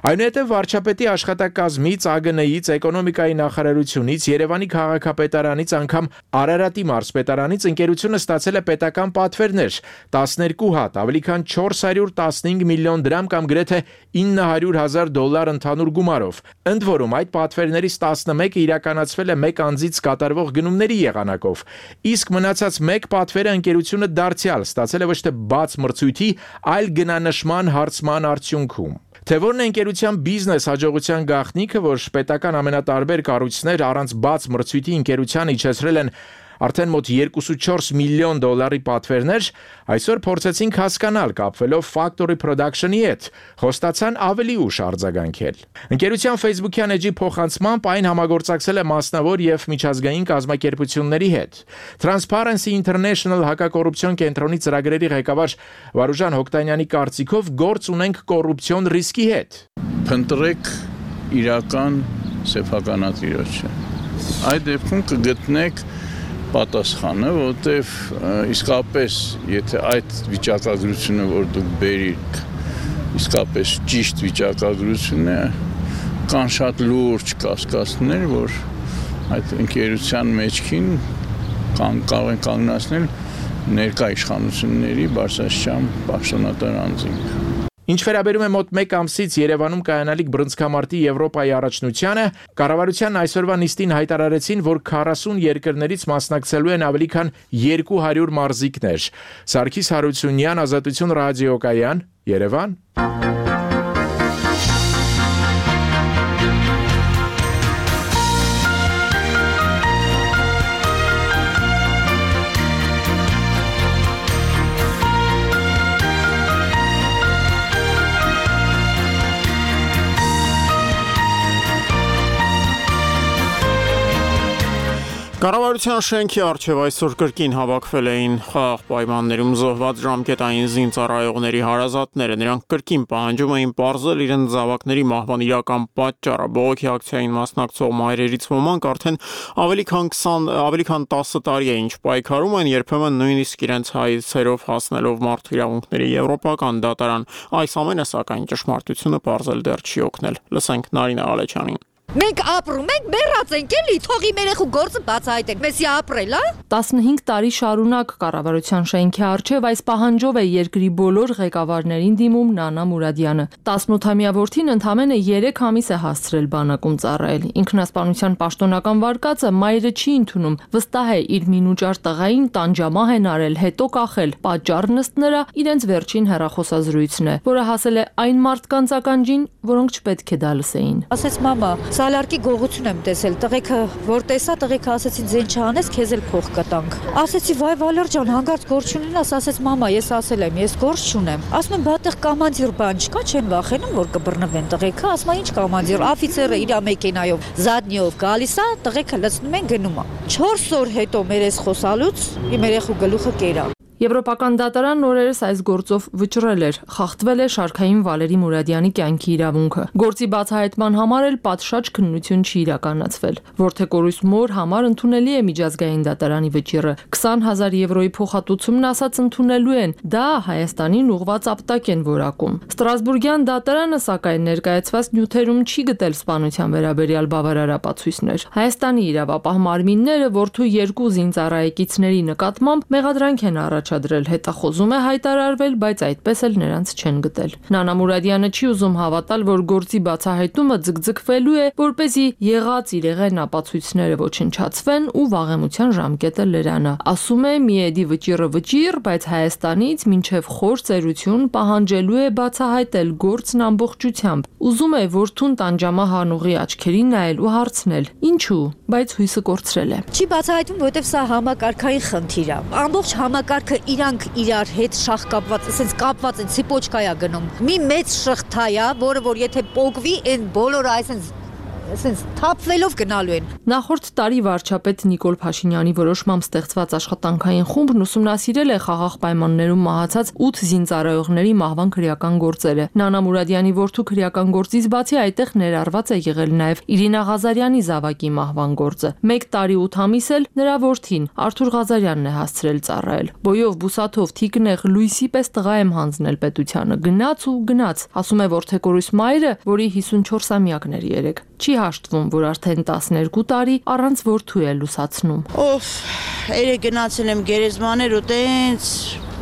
Այնուհետև վարչապետի աշխատակազմից, A G N-ից, էկոնոմիկայի նախարարությունից, Երևանի քաղաքապետարանից, անգամ Արարատի մարզպետարանից ընկերությունը ստացել է պետական պատվերներ տասներկու հատ, ավելի քան չորս հարյուր տասնհինգ միլիոն դրամ կամ գրեթե ինը հարյուր հազար դոլար ընդհանուր գումարով։ Ընդ որում այդ պատվերներից տասնմեկը իրականացվել է մեկ անձից կատարվող գնումների եղանակով, իսկ մնացած մեկ պատվերը ընկերությունը դարձյալ ստացել է ոչ թե բաց մրցույթի, այլ գնանշման հարցման արդյունքում։ Թե որն է ընկերության բիզնես հաջողության գաղտնիքը, որ պետական ամենատարբեր կառույցներ առանց բաց մրցույթի ընկերությանը իջեցրել են արդեն մոտ երկուսուչորս միլիոն դոլարի պատվերներ, այսօր փորձեցինք հասկանալ կապվելով Factory Production-ի հետ, խոստացան ավելի ուշ արձագանքել։ Ընկերության Facebook-յան էջի փոխանցմամբ այն համագործակցել է մասնավոր եւ միջազգային կազմակերպությունների հետ։ Transparency International հակակոռուպցիոն կենտրոնի ծրագրերի ղեկավար Վարուժան Հոկտանյանի կարծիքով գործ ունենք կոռուպցիոն ռիսկի հետ։ Փնտրեք իրական սեփականատիրոջը։ Այդ դեպքում կգտնեք պատասխանը, որտեվ իսկապես եթե այդ վիճակագրությունը, որ դուք բերիք, իսկապես ճիշտ վիճակագրություն է, կան շատ լուրջ կասկածներ, որ այդ ընկերության մեջքին կարող են կանգնացնել ներկա իշխանությունների բարձրաստիճան պաշտոնատար անձինք։ Ինչ վերաբերում է մոտ մեկ ամսից Երևանում կայանալիք բռնցքամարտի Եվրոպայի առաջնությանը, կառավարության այսօրվա նիստին հայտարարեցին, որ քառասուն երկրներից մասնակցելու են ավելի քան երկու հարյուր մարզիկներ։ Սարգիս Հարությունյան, Ազատություն ռադիոկայան, Երևան։ Կառավարության շենքի առջև այսօր կրկին հավաքվել էին խաղաղ պայմաններում զոհված ժամկետային զինծառայողների հարազատները։ Նրանք կրկին պահանջում էին պարզել իրենց զավակների մահվան իրական պատճառը։ Բողոքի ակցիային մասնակցող մայրերից ոմանք արդեն ավելի քան քսան, ավելի քան տասը տարի է ինչ պայքարում են, երբեմն նույնիսկ իրենց հայցերով հասնելով մարդու իրավունքների եվրոպական դատարան։ Այս ամենը սակայն ճշմարտությունը պարզել դեռ չի օգնել։ Լսենք Նարինե Ալեչյանին։ Մենք ապրում ենք, մեռած ենք էլի, թող իմ երեխու գործը բացահայտենք, մեսի ապրել, հա։ տասնհինգ տարի շարունակ կառավարության շենքի առջև այս պահանջով է երկրի բոլոր ղեկավարներին դիմում Նանա Մուրադյանը։ տասնութամյա որդին ընդամենը երեք ամիս է հասցրել բանակում ծառայել։ Ինքնասպանության պաշտոնական վարկածը մայրը չի ընդունում, վստահ է իր մինուճար տղային տանջամահ են արել, հետո կախել։ Պատճառն ըստ նրա իրենց վերջին հեռախոսազրույցն է, որը հասել է այն մարդկանց ականջին, որոնք չպետք է դա լսեին։ Ասեց մամա, Սալարկի գողություն եմ տեսել, տղեկը որ տեսա, տղեկը ասեցին ձեն չանես, քեզ էլ փող կտանք։ Ասեցի վայ Վալեր ջան, հանգարց գործ չունենաս, ասեց մամա, ես ասել եմ, ես գործ չունեմ։ Ասում եմ, բա տեղ կոմանդիր բան չկա, չեն վախենում, որ կբռնվեն տղեկը, ասում է, ինչ կոմանդիր, օֆիցերը իր մեքենայով, զադնիով գալիս է, տղեկը լցնում են գնում է։ չորս օր հետո մեր էս խոսալուց իմ երեխու գլուխը կերա։ Եվրոպական դատարանն օրերս այս գործով վճռել էր, խախտվել է շարքային Վալերի Մուրադյանի կյանքի իրավունքը։ Գործի բացահայտման համար էլ պատշաճ քննություն չի իրականացվել։ Որդեկորույս մոր համար ընդունելի է միջազգային դատարանի վճիռը։ քսան հազար եվրոյի փոխհատուցումն ասած ընդունելու են, դա Հայաստանին ուղղված ապտակ են որակում։ Ստրասբուրգյան դատարանը սակայն ներկայացված նյութերում չի գտել սպանության վերաբերյալ բավարար ապացույցներ։ Հայաստանի իրավապահ մարմինները որդու երկու զինծառայեկիցների նկատմամբ մեղադրանք են առաջադրել, հետախոզում է հայտարարվել, բայց այդպես էլ նրանց չեն գտել։ Նանա Մուրադյանը չի ուզում հավատալ, որ գործի բացահայտումը ձգձգվելու է, որպեսզի եղած իրեղեն ապացույցները ոչնչացվեն ու վաղեմության ժամկետը լրանա։ Ասում է՝ միեդի վճիռը վճիռ, բայց Հայաստանից մինչև խոր ծերություն պահանջելու է բացահայտել գործն ամբողջությամբ։ Ուզում է որդուն տանջամահանուղի աչքերին նայել ու հարցնել. ինչու, բայց հույսը կորցրել է։ Չի բացահայտում, որովհետև սա համակարգային խնդիր է։ Ամբողջ համակարգը իրանք իրար հետ շախ կապված, ասենց կապված են, ցիպոչկայա գնում։ Մի մեծ շղթա է, որը որ եթե պոկվի, այն բոլորը այսպես ասենց թափվելով գնալու են։ Նախորդ տարի վարչապետ Նիկոլ Փաշինյանի որոշմամբ ստեղծված աշխատանքային խումբն ուսումնասիրել է խաղաղ պայմաններում մահացած ութ զինծառայողների մահվան քրեական գործերը։ Նանա Մուրադյանի որդու քրեական գործից բացի այդտեղ ներառված է եղել նաև Իրինա Ղազարյանի զավակի մահվան գործը։ Մեկ տարի ութ ամիս էլ նրա որդին Արթուր Ղազարյանն է հասցրել ծառայել։ Բոյով, բուսաթով, թիկնեղ, լույսի պես տղա եմ հանձնել պետությանը։ Գնաց ու գնաց, ասում է որդեկորույս մայրը, որի հիսունչորսամյակն էր երեկ։ Չի հաշտվում, որ արդեն տասներկու տարի առանց որդու է լուսացնում։ Օֆ, երեք գնացել եմ գերեզմաներ ու տենց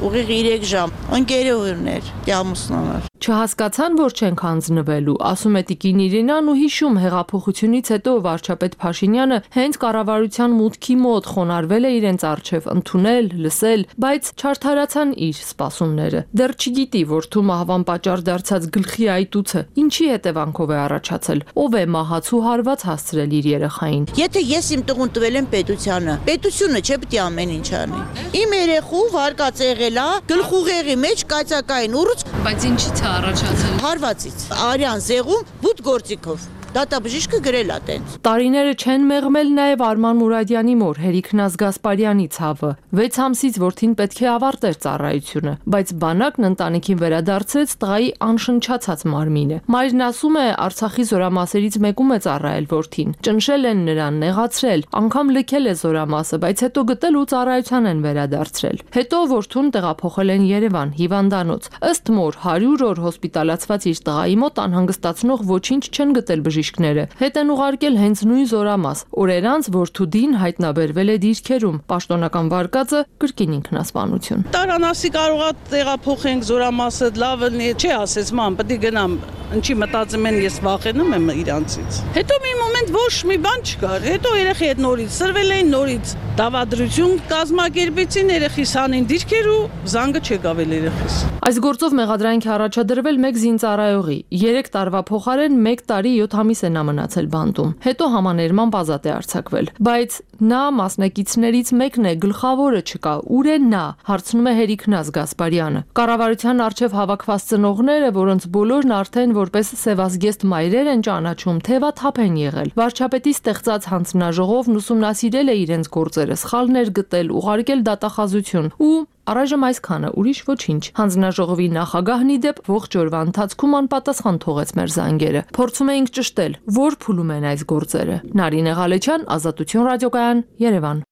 ուղիղ երեք ժամ։ Ընկերուհիներ, ամուսնուներ։ Չհասկացան, որ չենք հանձնվելու, ասում է տիկին Իրինան ու հիշում հեղափոխությունից հետո վարչապետ Փաշինյանը հենց կառավարության մուտքի մոտ խոնարհվել է իրենց առջև ընդունել, լսել, բայց չարդարացան իր սպասումները։ Դեռ չգիտի, որդու մահվան պատճառ դարձած գլխի այտուցը ինչի հետևանքով է առաջացել, ով է մահացու հարված հասցրել իր երեխային։ Եթե ես իմ տղուն տվել եմ պետությանը, պետությունը չէ պետք է ամեն ինչ անի։ Իմ երեխու վարկած եղել է գլխուղեղի մեջ կայծակային ուռուց, բայց ինչի՞ց առաջացել։ Հարվածից, արյան զեղում բութ գործիքով։ Դատաբժիշկը գրել է տենց։ Տարիները չեն մեղմել նաև Արման Մուրադյանի մոր Հերիքնազ Գասպարյանի ցավը։ վեց ամսից որդին պետք է ավարտեր ծառայությունը, բայց բանակն ընտանիքին վերադարձրեց տղայի անշնչացած մարմինը։ Մայրն ասում է, Արցախի զորամասերից մեկում է ծառայել որդին։ Ճնշել են նրան, նեղացրել, անգամ լքել է զորամասը, բայց հետո գտել ու ծառայության են վերադարձրել։ Հետո որդուն տեղափոխել են Երևան, հիվանդանոց։ Ըստ մոր հարյուր օր հոսպիտալացված իր տղայի մոտ անհանգստացնող ոչինչ չեն գտել բժիշկները։ Հետ են ուղարկել հենց նույն զորամաս։ Օրեր անց որդուդին հայտնաբերվել է դիրքերում։ Պաշտոնական վարկածը կրկին ինքնասպանություն։ Տարանասի կարողա տեղափոխենք զորամասը, լավ է, չի ասես ման, պետք է գնամ։ Ինչի մտածում են ես վախենում եմ իրանցից։ Հետո մի մոմենտ ոչ մի բան չկար։ Հետո երեխի հետ նորից սրվել էին, նորից դավադրություն կազմակերպեցին, երեխիս հանին դիրքեր ու զանգը չեկավ երեխիս։ Այս գործով մեղադրանք է առաջադրվել մեկ զինծառայողի։ երեք տարվա փոխարեն մեկ տարի յոթ ամիս է նա մնացել բանտում։ Հետո համաներմամբ ազատ է արձակվել։ Բայց նա մասնակիցներից մեկն է, գլխավորը չկա։ Ուր է նա, հարցնում է Հերիքնազ Գասպարյանը։ Կառավարության արչև հավաքված ծնողները, որոնց բոլորն արդեն որպես սևազգեստ մայրեր են ճանաչում, թևաթափ են եղել։ Վարչապետի ստեղծած հանձնաժողովն ուսումնասիրել է իրենց գործերը, սխալներ գտել, ուղարկել դատախազություն ու առայժմ այսքանը, ուրիշ ոչինչ։ Հանձնաժողովի նախագահն ի դեպ ողջ օրվա ընթացքում անպատասխան թողեց մեր զանգերը։ Փորձում էինք ճշտել, որ փուլում են այս գործերը։ Նարինե Ղալեչյան, Ազատություն ռադիոկայան, Երևան։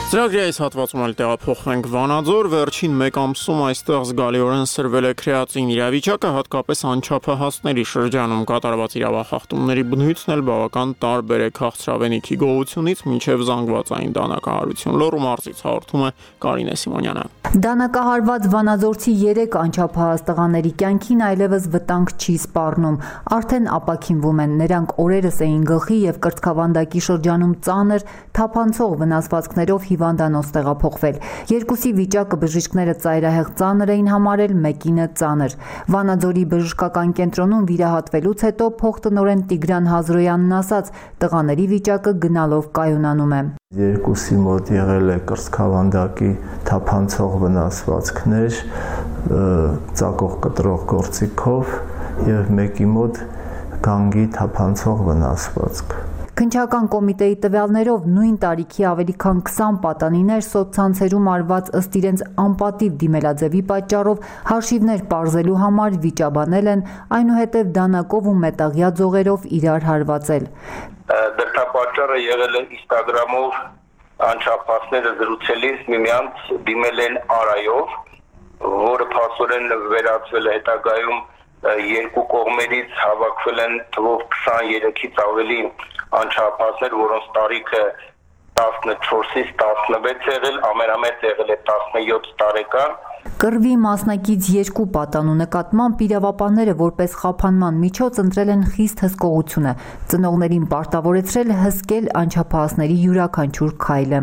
Ծրագրի այս հատվածում էլ տեղափոխվենք Վանաձոր, վերջին մեկ ամսում այստեղ զգալիորեն սրվել է քրեատին իրավիճակը, հատկապես անչափահասների շրջանում կատարված իրավախախտումների բնույթն էլ բավական տարբեր է քաղցրավենիքի գողությունից մինչև զանգվածային դանակահարություն։ Լոռու մարզից հաղորդում է Կարինե Սիմոնյանը։ Դանակահարված վանաձորցի երեք անչափահաս տղաների կյանքին այլևս վտանգ չի սպառնում, արդեն ապաքինվում են, նրանք օրերս էին գլխի և կրծքավանդակի շրջանում ծանր, թափանցող վնասվածքներով հիվանդանոց տեղափոխվել։ Երկուսի վիճակը բժիշկները ծայրահեղ ծանր էին համարել, մեկինը ծանր։ Վանաձորի բժշկական կենտրոնում վիրահատվելուց հետո փոխտնօրեն Տիգրան Հազրոյանն ասաց, տղաների վիճակը գնալով կայունանում է։ Երկուսի մոտ եղել է կրծքավանդակի թափանցող վնասվածքներ, ծակող կտրող գործիքով և մեկի մոտ գանգի թափանցող վնասվածք։ Քննչական կոմիտեի տվյալներով նույն տարիքի ավելի քան քսան պատանիներ սոցցանցերում արված ըստ իրենց անպատիվ դիմելաձևի պատճառով հաշիվներ պարզելու համար վիճաբանել են, այնուհետև դանակով ու մետաղյա ձողերով իրար հարվածել։ Դրդապատճառը եղել է Instagram-ով անչափահասները զրուցելիս միմյանց դիմել են արայով, որը փաստորեն վերածվել է հետագայում երկու կողմերից հավաքվել են թվով քսաներկից ավելի անչափահասներ, որոնց տարիքը տասնչորսից տասնվեց եղել, ամենամեծ եղել է տասնյոթ տարեկան։ Կռվի մասնակից երկու պատանու նկատմամբ իրավապահները որպես խափանման միջոց ընտրել են խիստ հսկողությունը, ծնողներին պարտավորեցրել հսկել անչափահասների յուրաքանչյուր քայլը։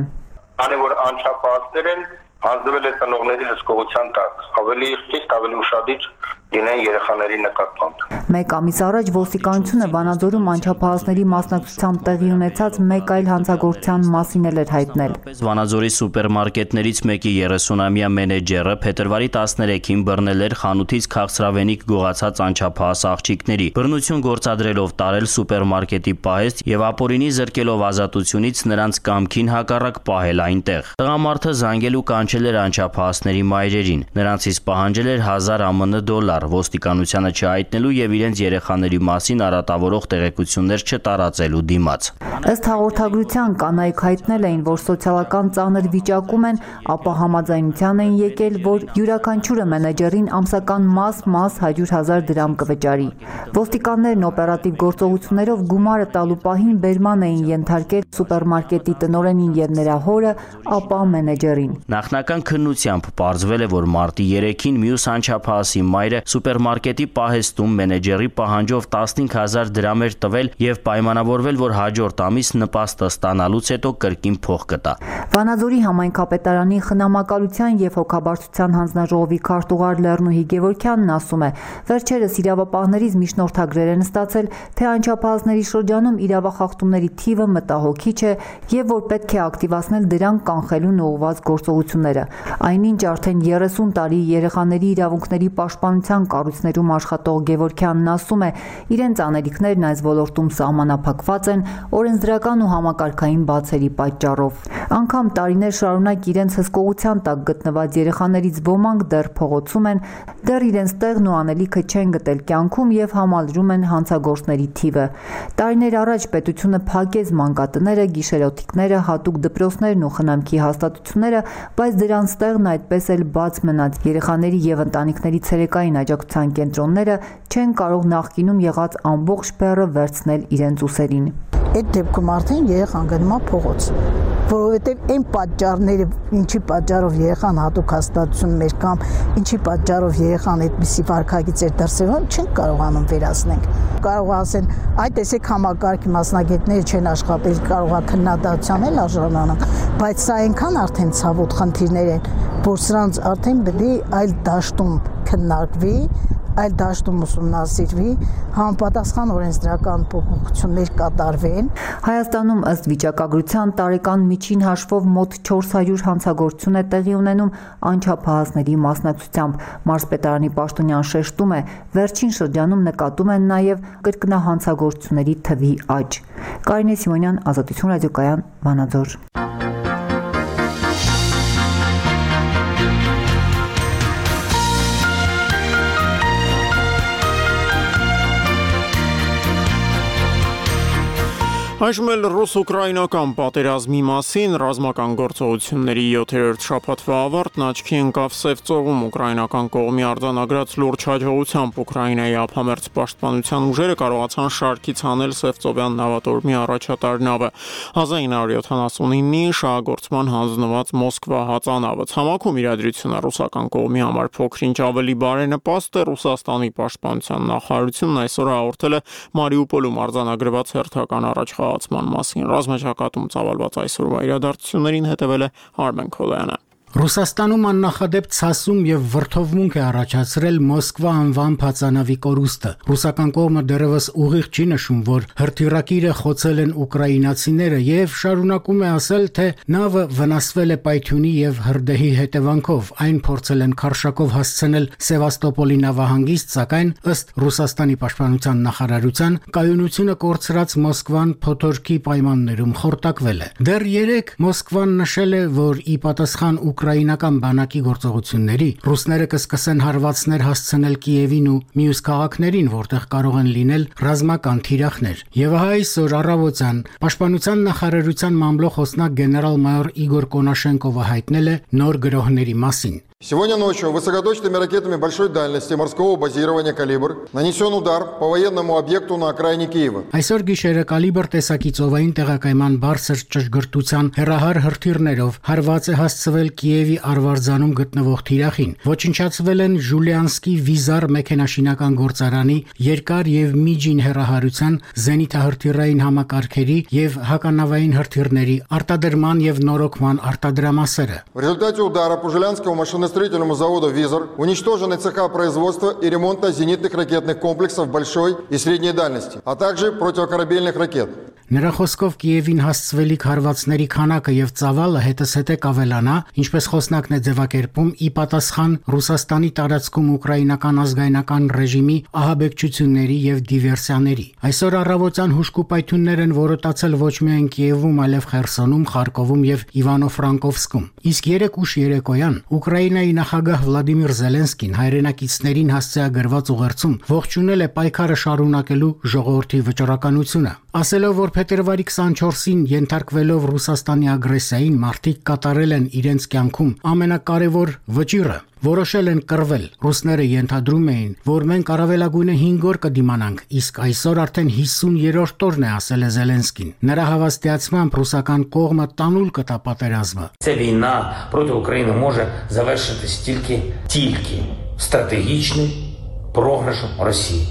Քանի որ անչափահասներ են, հանձնվել է ծնողների հսկողության տակ, ավելի խիստ, ավելի ուշադիր լինեն երեխաների նկատմամբ։ Մեկ ամիս առաջ ոստիկանությունը Վանաձորում անչափահասների մասնակցությամբ տեղի ունեցած մեկ այլ հանցագործության մասին էր հայտնել։ Վանաձորի սուպերմարկետներից մեկի երեսունամյա մենեջերը փետրվարի տասներեքին բռնել էր խանութից քաղցրավենիք գողացած անչափահաս աղջիկների, բռնություն գործադրելով տարել սուպերմարկետի պահեստ եւ ապօրինի զրկելով ազատությունից նրանց կամքին հակառակ պահել այնտեղ։ Տղամարդը զանգել ու կանչել էր անչափահասների մայրերին, նրանցից պահանջել էր հազար ԱՄՆ դոլար, ոստիկանությանը չհայտնելու եւ իրենց երեխաների մասին արատավորող տեղեկություններ չտարածելու դիմաց։ Ըստ հաղորդագրության կանայք հայտնել էին, որ սոցիալական ծանր վիճակում են, ապա համաձայնության էին եկել, որ յուրաքանչյուրը մենեջերին ամսական մաս-մաս հարյուր հազար դրամ կվճարի։ Ոստիկաններն օպերատիվ գործողություններով գումարը տալու պահին բերման էին ենթարկել սուպերմարկետի տնօրենին եւ նրա հորը, ապա մենեջերին։ Նախնական քննությամբ պարզվել է, որ մարտի երեքին մյուս անչափահասի մայրը սուպերմարկետի պահեստում մենեջերի պահանջով տասնհինգ հազար դրամ էր տվել եւ պայմանավորվել, որ հաջորդ ամիս նպաստը ստանալուց հետո կրկին փող կտա։ Վանաձորի համայնքապետարանի խնամակալության եւ հոգաբարձության հանձնաժողովի քարտուղար Լեռնուհի Գևորգյանն ասում է. վերջերս իրավապահներից միջնորդագրեր են ստացել, թե անչափահասների շրջանում իրավախախտումների թիվը մտահոգիչ է եւ որ պետք է ակտիվացնել դրանք կանխելուն ուղղված գործողությունները։ Այնինչ արդեն երեսուն տարի երեխաների իրավունքների պաշտպանության կառույցներում աշխատող Գևորգյանն ասում է, իրենց անելիքներն այս ոլորտում սահմանափակված են օրենսդրական ու համակարգային բացերի պատճառով։ Անգամ տարիներ շարունակ իրենց հսկողության տակ գտնված երեխաներից ոմանք դեռ փողոցում են, դեռ իրենց տեղն ու անելիքը չեն գտել կյանքում եւ համալրում են հանցագործների թիվը։ Տարիներ առաջ պետությունը փակեց մանկատները, գիշերօթիկները, հատուկ դպրոցներն ու խնամքի հաստատությունները, բայց դրանց տեղն այդպես էլ բաց մնաց։ Երեխաների եւ ընտանիքների ցերեկային աջակցության կենտրոնները չեն կարող նախկինում եղած ամբողջ բեռը վերցնել իրենց ուսերին։ Այդ դեպքում արդեն երեխան գնում է փողոց, որովհետև այն պատճառները, ինչի պատճառով երեխան հատուկ հաստատություն մեր կամ ինչի պատճառով երեխան այդպիսի վարքագիծ էր դրսևորում, չենք կարողանում վերացնել։ Կարող ասեն, այ տեսեք համակարգի մասնագետները չեն աշխատել, կարող է քննադատության էլ արժանանան, բայց սա այնքան արդեն ցավոտ խնդիրներ են, որ սրանց արդեն պետք է այլ դաշտում քննարկվի, այլ դաշտում ուսումնասիրվի, համապատասխան օրենսդրական փոփոխություններ կատարվեն։ Հայաստանում ըստ վիճակագրության տարեկան միջին հաշվով մոտ չորս հարյուր հանցագործություն է տեղի ունենում անչափահասների մասնակցությամբ։ Մարզպետարանի պաշտոնյան շեշտում է, վերջին շրջանում նկատում են նաև կրկնահանցագործությունների թվի աճ։ Կարինե Սիմոնյան, Ազատություն ռադիոկայան, Վանաձոր։ Այժմ էլ ռուս-ուկրաինական պատերազմի մասին ռազմական գործողությունների յոթերորդ շաբաթվա ավարտն աչքի ընկավ Սև ծովում ուկրաինական կողմի արձանագրած լուրջ հաջողությամբ Ուկրաինայի ափամերձ պաշտպանության ուժերը կարողացան շարքից հանել Սևծովյան նավատորմի առաջատար նավը հազար ինը հարյուր յոթանասունինի շահագործման հանձնված Մոսկվա հածանավը։ Ցամաքում իրադրությունը ռուսական կողմի համար փոքր-ինչ ավելի բարենպաստ է։ Ռուսաստանի պաշտպանության նախարարությունն այսօր հաղորդել է Մարիուպոլում արձանագրված հերթական առաջխաղացման մասին։ Ռազմաճակատում ծավալված այսօրվա իրադարձություններին հետևել է Արմեն Քոլյանը։ Ռուսաստանում աննախադեպ ցասում եւ վրթովմունք է առաջացրել Մոսկվա անվան փածանավի կորուստը։ Ռուսական կողմը դեռևս ուղիղ չի նշում, որ հրթիռակիրը խոցել են ուկրաինացիները եւ շարունակում է ասել, թե նավը վնասվել է պայթյունի եւ հրդեհի հետևանքով։ Այն փորձել են քարշակով հասցնել Սևաստոպոլի նավահանգիստ, սակայն ըստ Ռուսաստանի պաշտպանության նախարարության կայունությունը կորցրած Մոսկվան փոթորկի պայմաններում խորտակվել է։ Դեռ երեկ Մոսկվան նշել է, որ ի պատասխան ուկրաինական բանակի գործողությունների ռուսները կսկսեն հարվածներ հասցնել Կիևին ու մյուս քաղաքներին, որտեղ կարող են լինել ռազմական թիրախներ։ Եվ այսօր առավոտյան պաշտպանության նախարարության մամլոխոսնակ գեներալ-մայոր Իգոր Կոնաշենկովը հայտնել է նոր գրոհների մասին։ Сегодня ночью высокоточными ракетами большой дальности морского базирования «Калибр» нанесен удар по военному объекту на окраине Киева. Այսօր գիշերը «Կալիբր» տեսակի ծովային տեղակայման բարձր ճշգրտության հեռահար հրթիռներով հարված է հասցվել Կիևի արվարձանում գտնվող թիրախին։ Ոչնչացվել են Ժուլիանսկի վիզար մեքենաշինական գործարանի երկար եւ միջին հեռահարության զենիթահրթիռային համակարգերի եւ հականավային հրթիռների արտադրման եւ նորոգման արտադրամասերը։ В результате удара по Жулянскому машиностроительному заводу «Визор» уничтожены цеха производства и ремонта зенитных ракетных комплексов большой и средней дальности, а также противокорабельных ракет. Նրա խոսքով Կիևին հասցվելիք հարվածների քանակը եւ ծավալը հետզհետե կավելանա, ինչպես խոսնակն է ձևակերպում, ի պատասխան Ռուսաստանի տարածքում ուկրաինական ազգայնական ռեժիմի ահաբեկչությունների եւ դիվերսիաների։ Այսօր առավոտյան հուշկու պայթյուններ են որոտացել ոչ միայն Կիևում, այլև Խերսոնում, Խարկովում եւ Իվանո-Ֆրանկովսկում։ Իսկ երեք ուշ երեկոյան Ուկրաինայի նախագահ Վլադիմիր Զելենսկին հայրենակիցներին հասցեագրված ուղերձում ողջունել է պայքարը շարունակելու ժողովրդի վճռականությունը, ասելով, որ փետրվարի քսանչորսին ենթարկվելով Ռուսաստանի ագրեսիային մարդիկ կատարել են իրենց կյանքում ամենակարևոր վճիռը, որոշել են կռվել։ Ռուսները ենթադրում էին, որ մենք առավելագույնը հինգ օր կդիմանանք, իսկ այսօր արդեն հիսուն-երրորդ օրն է, ասել է Զելենսկին։ Նրա հավաստիացմամբ ռուսական кողմը տանուլ կտա պատերազմը։ Ця війна проти України може завершитись тільки тільки стратегічним програшем Росії,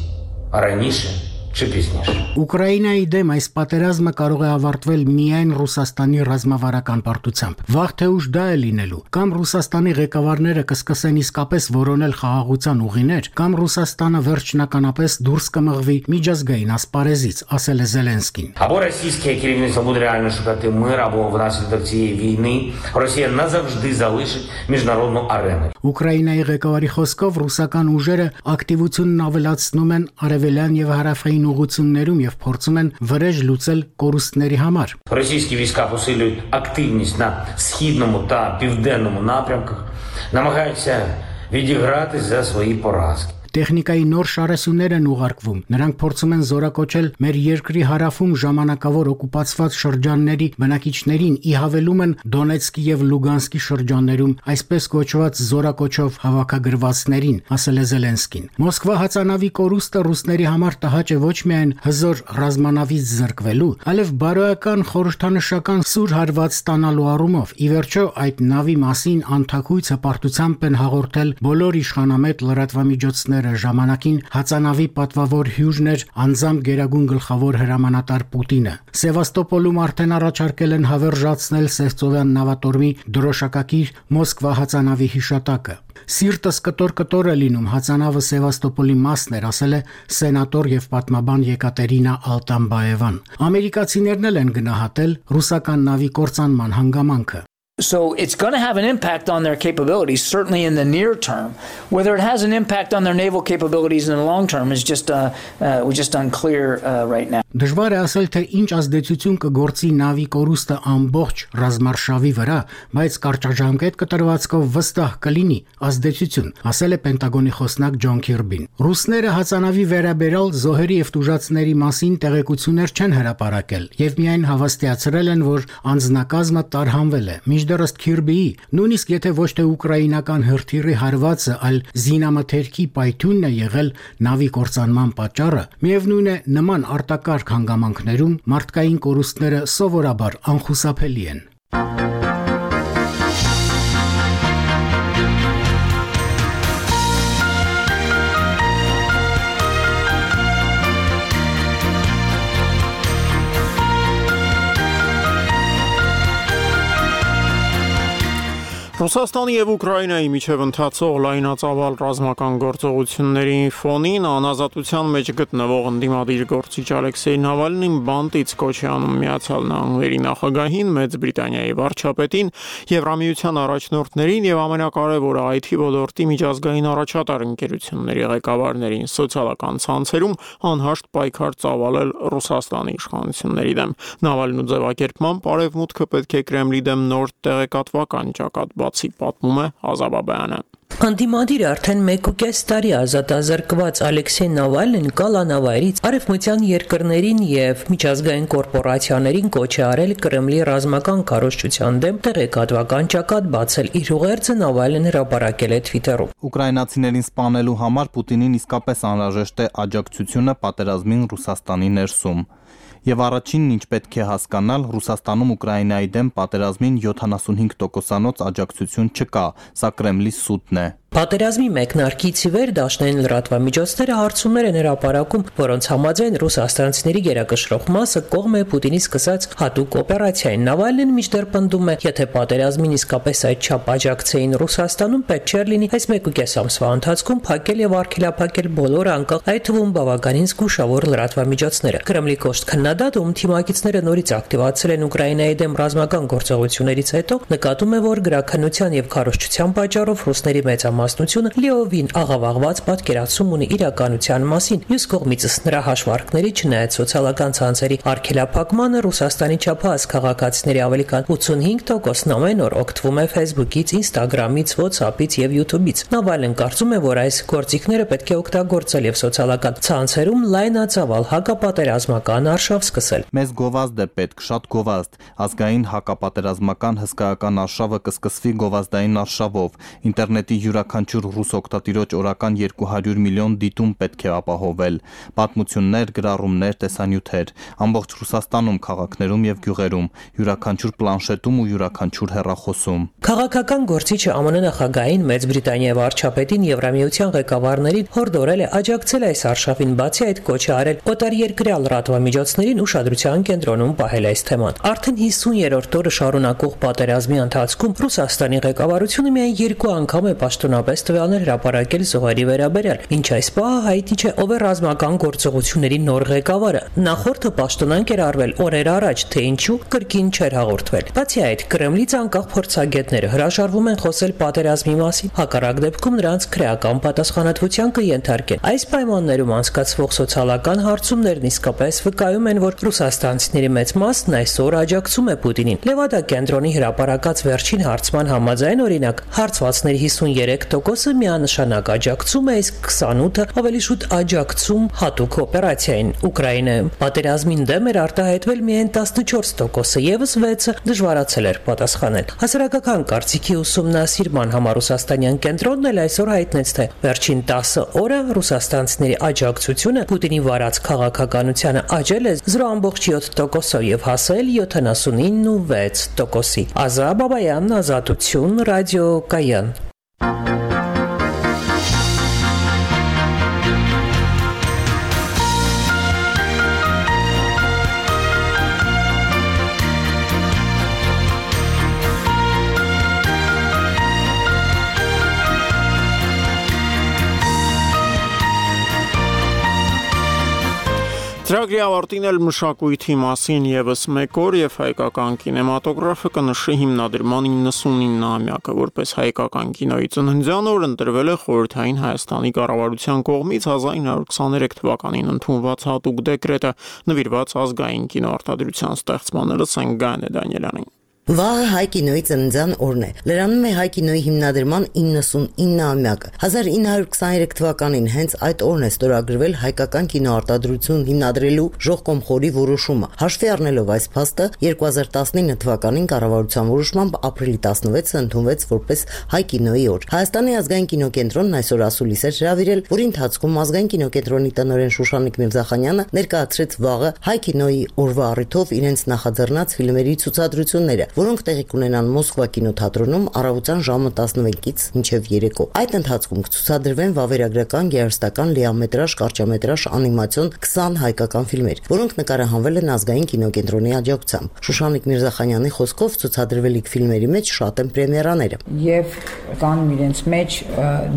а раніше чи пізніше։ Ուկրաինայի դեմ այս պատերազմը կարող է ավարտվել միայն Ռուսաստանի ռազմավարական պարտությամբ։ Վաղ թե ուշ դա է լինելու։ Կամ Ռուսաստանի ղեկավարները կսկսեն իսկապես որոնել խաղաղության ուղիներ, կամ Ռուսաստանը վերջնականապես դուրս կմղվի միջազգային ասպարեզից, ասել է Զելենսկին։ Або російське керівництво буде реально шукати мир, або внаслідок цієї війни Росія назавжди залишить міжнародну арену։ Ուկրաինայի ղեկավարի խոսքով ռուսական ուժերը ակտիվությունն ավելացնում են արևելյան եւ հարավային ուղղություններում եւ փորձում են վրեժ луцել կորուստների համար։ Російські війська посилюють активність на східному та південному напрямках, намагаються відігратись за свої поразки։ Տեխնիկայի նոր շարասյուններ են ուղարկվում։ Նրանք փորձում են զորակոչել մեր երկրի հարավում ժամանակավոր օկուպացված շրջանների բնակիչներին, ի հավելում են Դոնեցկի եւ Լուգանսկի շրջաններում այսպես կոչված զորակոչով հավաքագրվածներին, ասել է Զելենսկին։ Մոսկվա հացանավի կորուստը ռուսների համար տհաճ է ոչ միայն հզոր ռազմանավից զրկվելու, այլև բարոյական խորհրդանշական սուր հարված ստանալու առումով։ Ի վերջո այդ նավի մասին անթակույց հպարտությամբ են հաղորդել բոլոր իշխանամետ լրատվամիջոցները ժամանակին հացանավի պատվավոր հյուժն էր անձամբ գերագույն գլխավոր հրամանատար Պուտինը։ Սևաստոպոլում արդեն առաջարկել են հավերժացնել Սևծովյան նավատորմի դրոշակակիր Մոսկվա հացանավի հիշատակը։ Սիրտս կտոր-կտոր է լինում, հացանավը Սևաստոպոլի մասն էր, ասել է սենատոր եւ պատմաբան Եկատերինա Ալտամբաևան։ Ամերիկացիներն էլ են գնահատել ռուսական նավի կործանման հանգամանքը։ So it's going to have an impact on their capabilities, certainly in the near term. Whether it has an impact on their naval capabilities in the long term is just uh, uh, just unclear uh, right now. Դժվար է ասել, թե ինչ ազդեցություն կգործի նավի կորուստը ամբողջ ռազմարշավի վրա, բայց կարճաժամկետ կտրվածքով վստահ կլինի ազդեցություն, ասել է Պենտագոնի խոսնակ Ջոն Քիրբին։ Ռուսները հացանավի վերաբերյալ զոհերի եւ տուժածների մասին տեղեկություններ չեն հրապարակել եւ միայն հավաստիացրել են, որ անձնակազմը տարհանվել է։ Մինչդեռ ըստ Քիրբիի, նույնիսկ եթե ոչ թե ուկրաինական հրթիռի հարվածը, այլ զինամթերքի պայթյունն է եղել նավի կործանման պատճառը, միևնույն է նման արտակարգ հանգամանքներում մարդկային կորուստները սովորաբար անխուսափելի են։ Ռուսաստանի եւ Ուկրաինայի միջև ընթացող լայնածավալ ռազմական գործողությունների ֆոնին անազատության մեջ գտնվող ընդդիմադիր գործիչ Ալեքսեյ Նավալնին բանտից կոչ է անում Միացյալ Նահանգների նախագահին, Մեծ Բրիտանիայի վարչապետին, Եվրամիության առաջնորդներին եւ ամենակարևորը այ թի ոլորտի միջազգային առաջատար ընկերությունների ղեկավարներին սոցիալական ցանցերում անհաշտ պայքար ծավալել Ռուսաստանի իշխանությունների դեմ։ Նավալնու ձևակերպման Արևմուտքը պետք է Կրեմլի դեմ նոր տեղեկատվական ճակատ բացի, պատմում է Ազաբաբյանը։ Անդիմադիր արդեն մեկ ու կես տարի ազատազրկված Ալեքսեյ Նավալնին կալանավայրից արևմտյան երկրներին եւ միջազգային կորպորացիաներին կոչ է արել Կրեմլի ռազմական քարոզչության դեմ տեղեկատվական ճակատ բացել։ Իր ուղերձը Նավալնին հրապարակել է Twitter-ում։ Ուկրաինացիներին սպանելու համար Պուտինին իսկապես անհրաժեշտ է աջակցությունը պատերազմին Ռուսաստանի ներսում։ Եվ առաջինն ինչ պետք է հասկանալ, Ռուսաստանում Ուկրաինայի դեմ պատերազմին յոթանասունհինգ տոկոսանոց աջակցություն չկա, սա Կրեմլի սուտն է։ Պատերազմի մեկնարկից ի վեր դաշնային լրատվամիջոցները հարցումներ են հրապարակում, որոնց համաձայն ռուսաստանցիների գերակշռող մասը կողմ է Պուտինի սկսած հատուկ օպերացիային։ Նավալնին մինչդեռ պնդում է, եթե պատերազմին իսկապես այդչափ աջակցեին Ռուսաստանում, պետք չէր լինի այս մեկ ու կես ամսվա ընթացքում փակել եւ արգելափակել բոլոր անկախ, այդ թվում բավականին զգուշավոր լրատվամիջոցները։ Կրեմլի կոշտ քննադատը, ում թիմակիցները նորից ակտիվացել են Ուկրաինայի դեմ ռազմական գործողություններից հետո, նկատում է, որ գրաքննության եւ քարոզչության պատճառով ռուսների մեծամասնությունը լիովին աղավաղված պատկերացում ունի իրականության մասին։ Մյուս կողմից նրա հաշվարկների չնայած սոցիալական ցանցերի արգելափակմանը Ռուսաստանի չափահաս քաղաքացիների ավելի քան ութսունհինգ տոկոսն ամեն օր օգտվում է Facebook-ից, Instagram-ից, WhatsApp-ից եւ YouTube-ից։ Նավալն կարծում է, որ այս գործիքները պետք է օգտագործել եւ սոցիալական ցանցերում լայնածավալ հակապատերազմական արշավ սկսել։ Մեզ գովազդ է պետք, շատ գովազդ։ Ազգային հակապատերազմական հսկայական արշավը կսկսվի գովազդային արշավով։ Ինտերնետի յուրաքանչյուր ռուս օգտատիրոջ օրական երկու հարյուր միլիոն դիտում պետք է ապահովել։ Պատմություններ, գրառումներ, տեսանյութեր, ամբողջ Ռուսաստանում, քաղաքներում եւ գյուղերում, յուրաքանչյուր պլանշետում ու յուրաքանչյուր հեռախոսում։ Քաղաքական գործիչը ԱՄՆ նախագահային, Մեծ Բրիտանիայի վարչապետին, Եվրամիության ղեկավարներին հորդորել է աջակցել այս արշավին, բացի այդ կոչ է արել օտարերկրյա լրատվամիջոցներին ուշադրության կենտրոնում պահել այս թեման։ Արդեն հիսուն-երրորդ օրը շարունակող պատերազմի ընթացքում Ռուսաստանի ղեկավարությունը միայն երկու անգամ է պաշտոնապես տվյալներ հրապարակել զոհերի վերաբերյալ, ինչ այս պահը հայտնի չէ ով է ռազմական գործողությունների նոր ղեկավարը։ Նախորդը պաշտոնանկ էր արվել օրեր առաջ, թե ինչու կրկին չէր հաղորդվել։ Բացի այդ, Կրեմլից անկախ փորձագետները հրաժարվում են խոսել պատերազմի մասին, հակառակ դեպքում նրանց քրեական պատասխանատվության կենթարկեն։ Այս պայմաններում անցկացվող սոցիալական հարցումներն իսկապես վկայում են, որ ռուսաստանցիների մեծ մասն այսօր աջակցում է Պուտինին։ Լևադա կենտրոնի հրապարակած վերջին հարցման համաձայն, օրինակ, հարցվածների հիսունյերեք տոկոսը միանշանակ աջակցում է, իսկ քսանութը ավելի շուտ աջակցում հատուկ օպերացիային Ուկրաինայում։ Պատերազմին դեմ էր արտահայտվել միայն տասնչորս տոկոսը, եւս վեցը դժվարացել էր պատասխանել։ Հասարակական կարծիքի ուսումնասիրման համար ռուսաստանյան կենտրոնն էլ այսօր հայտնեց, թե վերջին տասը օրը ռուսաստանցիների աջակցությունը Պուտինի վարած քաղաքականությանը աճել է զրո ամբողջ յոթ տոկոսով եւ հասել յոթանասունինը վեց տոկոսի։ Ազատ Բաբայան, Ազատություն, Ռադիո Կայան։ Ծրագրի ավարտին էլ մշակույթի մասին եւս մեկ օր եւ հայկական կինեմատոգրաֆը կնշի հիմնադրման իննսունինամյակը, որպես հայկական կինոյի ծննդյան օր ընտրվել է Խորհրդային Հայաստանի կառավարության կողմից հազար ինը հարյուր քսաներեք թվականին ընդունված հատուկ դեկրետը նվիրված ազգային կինոարտադրության ստեղծմանը։ Լսենք Գայանե Դանիելյանին։ Վաղը հայ կինոյի ծննդյան օրն է։ Լրանում է հայ կինոյի հիմնադրման իննսունինամյակը։ հազար ինը հարյուր քսաներեք թվականին հենց այդ օրն է ստորագրվել հայկական կինոարտադրություն հիմնադրելու ժողկոմխորի որոշումը։ Հաշվի առնելով այս փաստը, երկու հազար տասնինը թվականին կառավարության որոշմամբ ապրիլի տասնվեցը ընդունվեց որպես հայ կինոյի օր։ Հայաստանի ազգային կինոկենտրոնն այսօր ասուլիս էր հրավիրել, որի ընթացքում ազգային կինոկենտրոնի տնօրեն Շուշանիկ Միրզախանյանը ներկայացրեց վաղը հայ կինոյի օրվա առիթով իրենց նախաձեռնած ֆիլմերի ցուցադրությունները։ որոնք տեղի կունենան Մոսկվա կինոթատրոնում առավոտյան ժամը տասնմեկից մինչև երեկո։ Այդ ընթացքում կցուցադրվեն վավերագրական, գեղարվեստական, լիամետրաժ, կարճամետրաժ, անիմացիոն քսան հայկական ֆիլմեր, որոնք նկարահանվել են ազգային կինոկենտրոնի աջակցությամբ։ Շուշանիկ Միրզախանյանի խոսքով ցուցադրվելիք ֆիլմերի մեջ շատ են պրեմիերաները։ Եվ կան իրենց մեջ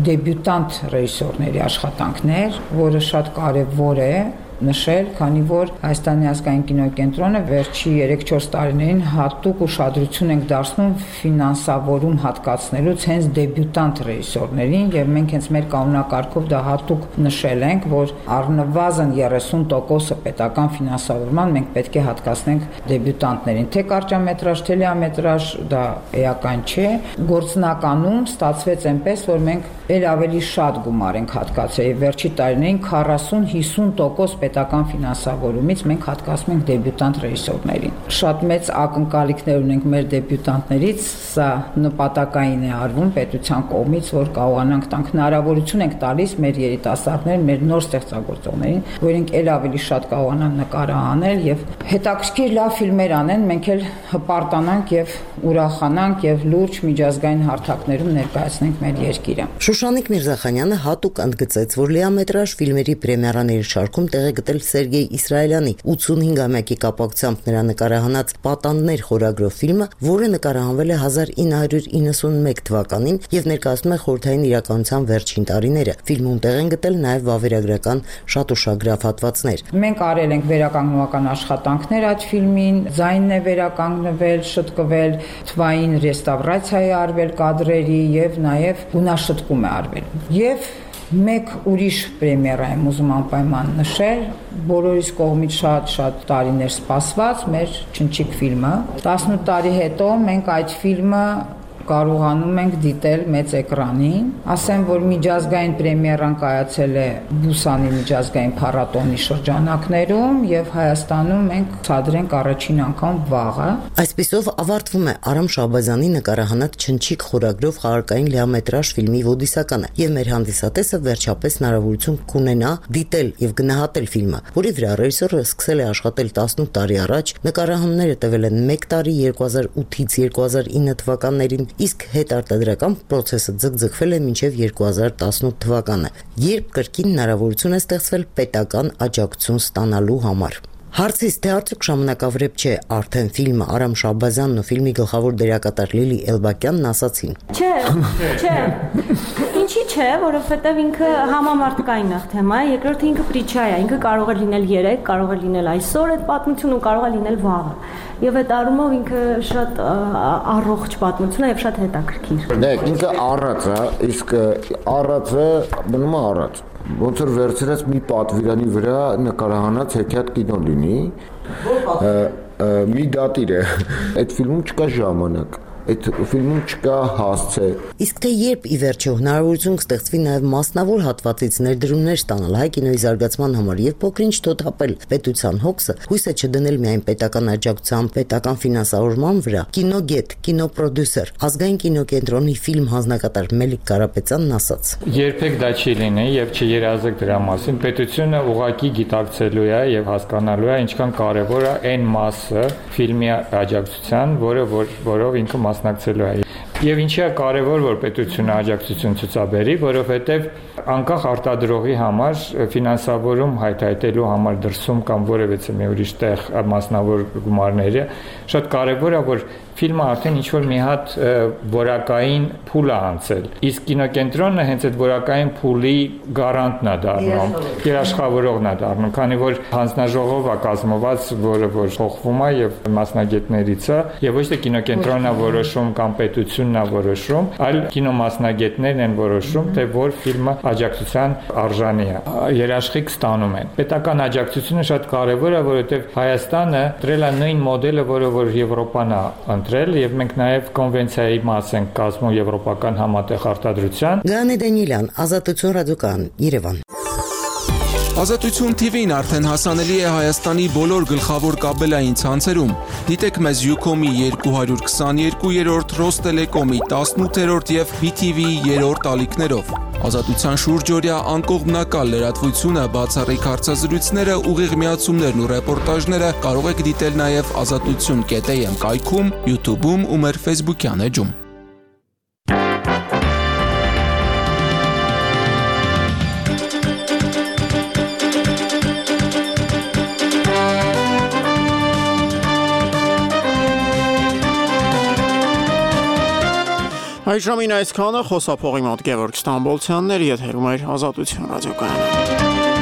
դեբյուտանտ ռեժիսորների աշխատանքներ, որը շատ կարևոր է նշել, քանի որ Հայաստանի ազգային կինոկենտրոնը վերջի երեք-չորս տարիներին հատուկ ուշադրություն ենք դարձնում ֆինանսավորում հատկացնելուց հենց դեբյուտանտ ռեժիսորներին, եւ մենք հենց մեր կանոնակարգով դա հատուկ նշել ենք, որ առնվազն երեսուն տոկոսը պետական ֆինանսավորման մենք պետք է հատկացնենք դեբյուտանտներին, թե կարճամետրաժ, թե լիամետրաժ, դա էական չէ։ Գործնականում ստացվեց այնպես, որ մենք ել ավելի շատ գումար ենք հատկացրել, վերջի տարիներին քառասուն հիսուն տոկոս պետական ֆինանսավորումից մենք հատկացնում ենք դեբյուտանտ ռեժիսորներին։ Շատ մեծ ակնկալիքներ ունենք մեր դեբյուտանտներից, սա նպատակային է արվում պետության կողմից, որ կարողանանք տանք հնարավորություն ենք տալիս մեր երիտասարդներին, մեր նոր ստեղծագործողներին, որ իրենք ել ավելի շատ կարողանան նկարահանել եւ հետաքրքիր լավ ֆիլմեր անեն, մենք էլ հպարտանանք եւ ուրախանանք եւ լուրջ միջազգային հարթակներում ներկայացնենք մեր երկիրը։ Շուշանիկ Միրզախանյանը հատուկ ընդգծեց, որ լիամետրաժ ֆիլմերի պրեմիերաների շարքում տեղ է գտել Սերգեյ Իսրայելյանի ութսունհինգամյակի կապակցությամբ նրա նկարահանած Պատանդներ խորագրով ֆիլմը, որը նկարահանվել է հազար ինը հարյուր իննսունմեկ թվականին եւ ներկայացնում է խորհրդային իրականության վերջին տարիները։ Ֆիլմում տեղ են գտել նաեւ վավերագրական շատ ուշագրավ հատվածներ։ Մենք արել ենք վերականգնողական աշխատանքներ այդ ֆիլմին, ձայնն է վերականգնվել, շտկվել, թվային ռեստավրացիա է արվել կադրերի եւ նաեւ գունաշտկում է արվել։ Եվ մեկ ուրիշ պրեմիերա եմ ուզում անպայման նշել, բոլորիս կողմից շատ-շատ տարիներ սպասված մեր Չնչիկ ֆիլմը։ տասնութ տարի հետո մենք այդ ֆիլմը կարողանում ենք դիտել մեծ էկրանին։ Ասեմ, որ միջազգային պրեմիերան կայացել է Բուսանի միջազգային փառատոնի շրջանակներում եւ Հայաստանում մենք ցուցադրենք առաջին անգամ վաղը։ Այսպիսով ավարտվում է Արամ Շահբազյանի նկարահանած Չնչիկ խորագրով խաղարկային լիամետրաժ ֆիլմի ոդիսականը եւ մեր հանդիսատեսը վերջապես հնարավորություն կունենա դիտել եւ գնահատել ֆիլմը, որի վրա ռեժիսորը սկսել է աշխատել տասնութ տարի առաջ, նկարահանումները տևել են մեկ տարի երկու հազար ութից երկու հազար ինը թվականներին, իսկ հետարտադրական process-ը ձգձգվել է մինչև երկու հազար տասնութ թվականը, երբ կրկին հնարավորություն է ստեղծվել պետական աջակցություն ստանալու համար։ Հարցից թե արդյոք ժամանակավրեպ չէ արդեն ֆիլմը Արամ Շահբազյանն ու ֆիլմի գլխավոր դերակատար Լիլի Էլբակյանն ասացին. Չէ, չէ։ Ինչի՞ չէ, որովհետև ինքը համամարտկային է թեմա, երկրորդը ինքը պրիչա է, ինքը կարող է լինել երեք, կարող է լինել այսօր այդ պատմությունը ու կարող է լինել վաղը։ Եվ այդ առումով ինքը շատ առողջ պատմություն է եւ շատ հետաքրքիր։ Դե ինքը առած է, իսկ առածը մնում է առած։ Ոնց որ վերցրած մի պատվիրանի վրա նկարահանած հեքիաթ կինո լինի, մի դատիր է, այդ ֆիլմում չկա ժամանակ, այդ ֆիլմում չկա հասցե։ Իսկ թե երբ ի վերջո հնարավորություն կստեղծվի նաև մասնավոր հատվածից ներդրումներ ստանալ հայ կինոյի զարգացման համար եւ փոքրինչ թոթափել պետության հոգսը, հույս է չդնել միայն պետական աջակցության, պետական ֆինանսավորման վրա, կինոգետ, կինոպրոդյուսեր, ազգային կինոկենտրոնի ֆիլմ հանձնակատար Մելիք Կարապետյանն ասաց. Երբեք դա չի լինի եւ չերազեք դրա մասին, պետությունը ուղղակի գիտակցելու է եւ հասկանալու է ինչքան կարեւոր է այն մասը ֆիլմի աջակցության, որը որով ինքը մասնակցելու է։ Եվ ինչի է կարևոր, որ պետությունը աջակցություն ցուցաբերի, որովհետև անկախ արտադրողի համար ֆինանսավորում հայթայթելու համար դրսում կամ որևէ մի ուրիշ տեղ մասնավոր գումարները շատ կարևոր է, որ ֆիլմը արդեն ինչ-որ մի հատ որակային փուլ է անցել։ Իսկ կինոկենտրոնը հենց այդ որակային փուլի գարանտն է դառնում, երաշխավորողն է դառնում, քանի որ հանձնաժողով է կազմված, որը որ փոխվում է եւ մասնագետներից է, եւ ոչ թե կինոկենտրոնն է որոշում կամ պետությունն է որոշում, այլ կինոմասնագետներն են որոշում, թե որ ֆիլմը աջակցության արժանի է։ Երաշխիք ստանում են։ Պետական աջակցությունը շատ կարևոր է, որովհետեւ Հայաստանը դրել է նույն մոդելը, որը որ Եվրոպան է եւ մենք նաեւ կոնվենցիայի մաս ենք կազմում եվրոպական համատեղ արտադրության։ Գանե Դանիելյան, Ազատություն ռադիոկայան, Երևան։ Ազատություն Թի Վին արդեն հասանելի է Հայաստանի բոլոր գլխավոր կաբելային ցանցերում։ Դիտեք մեզ Յուքոմի երկու հարյուր քսաներկու երրորդ Ռոստելեկոմի տասնութերորդ եւ բի թի վի-ի երրորդ ալիքներով։ Ազատության շուրջօրյա անկողմնակալ լրատվությունը, բացառիկ հարցազրույցները, ուղիղ միացումներն ու ռեպորտաժները կարող եք դիտել նաեւ ազատություն կետ էյ էմ կայքում, YouTube-ում ու մեր Facebook-յան էջում։ Այժմին այսքանը խոսափողի մոտ Գևորգ Ստամբոլցյանն էր, եթերում էր Ազատություն ռադիոկայանը։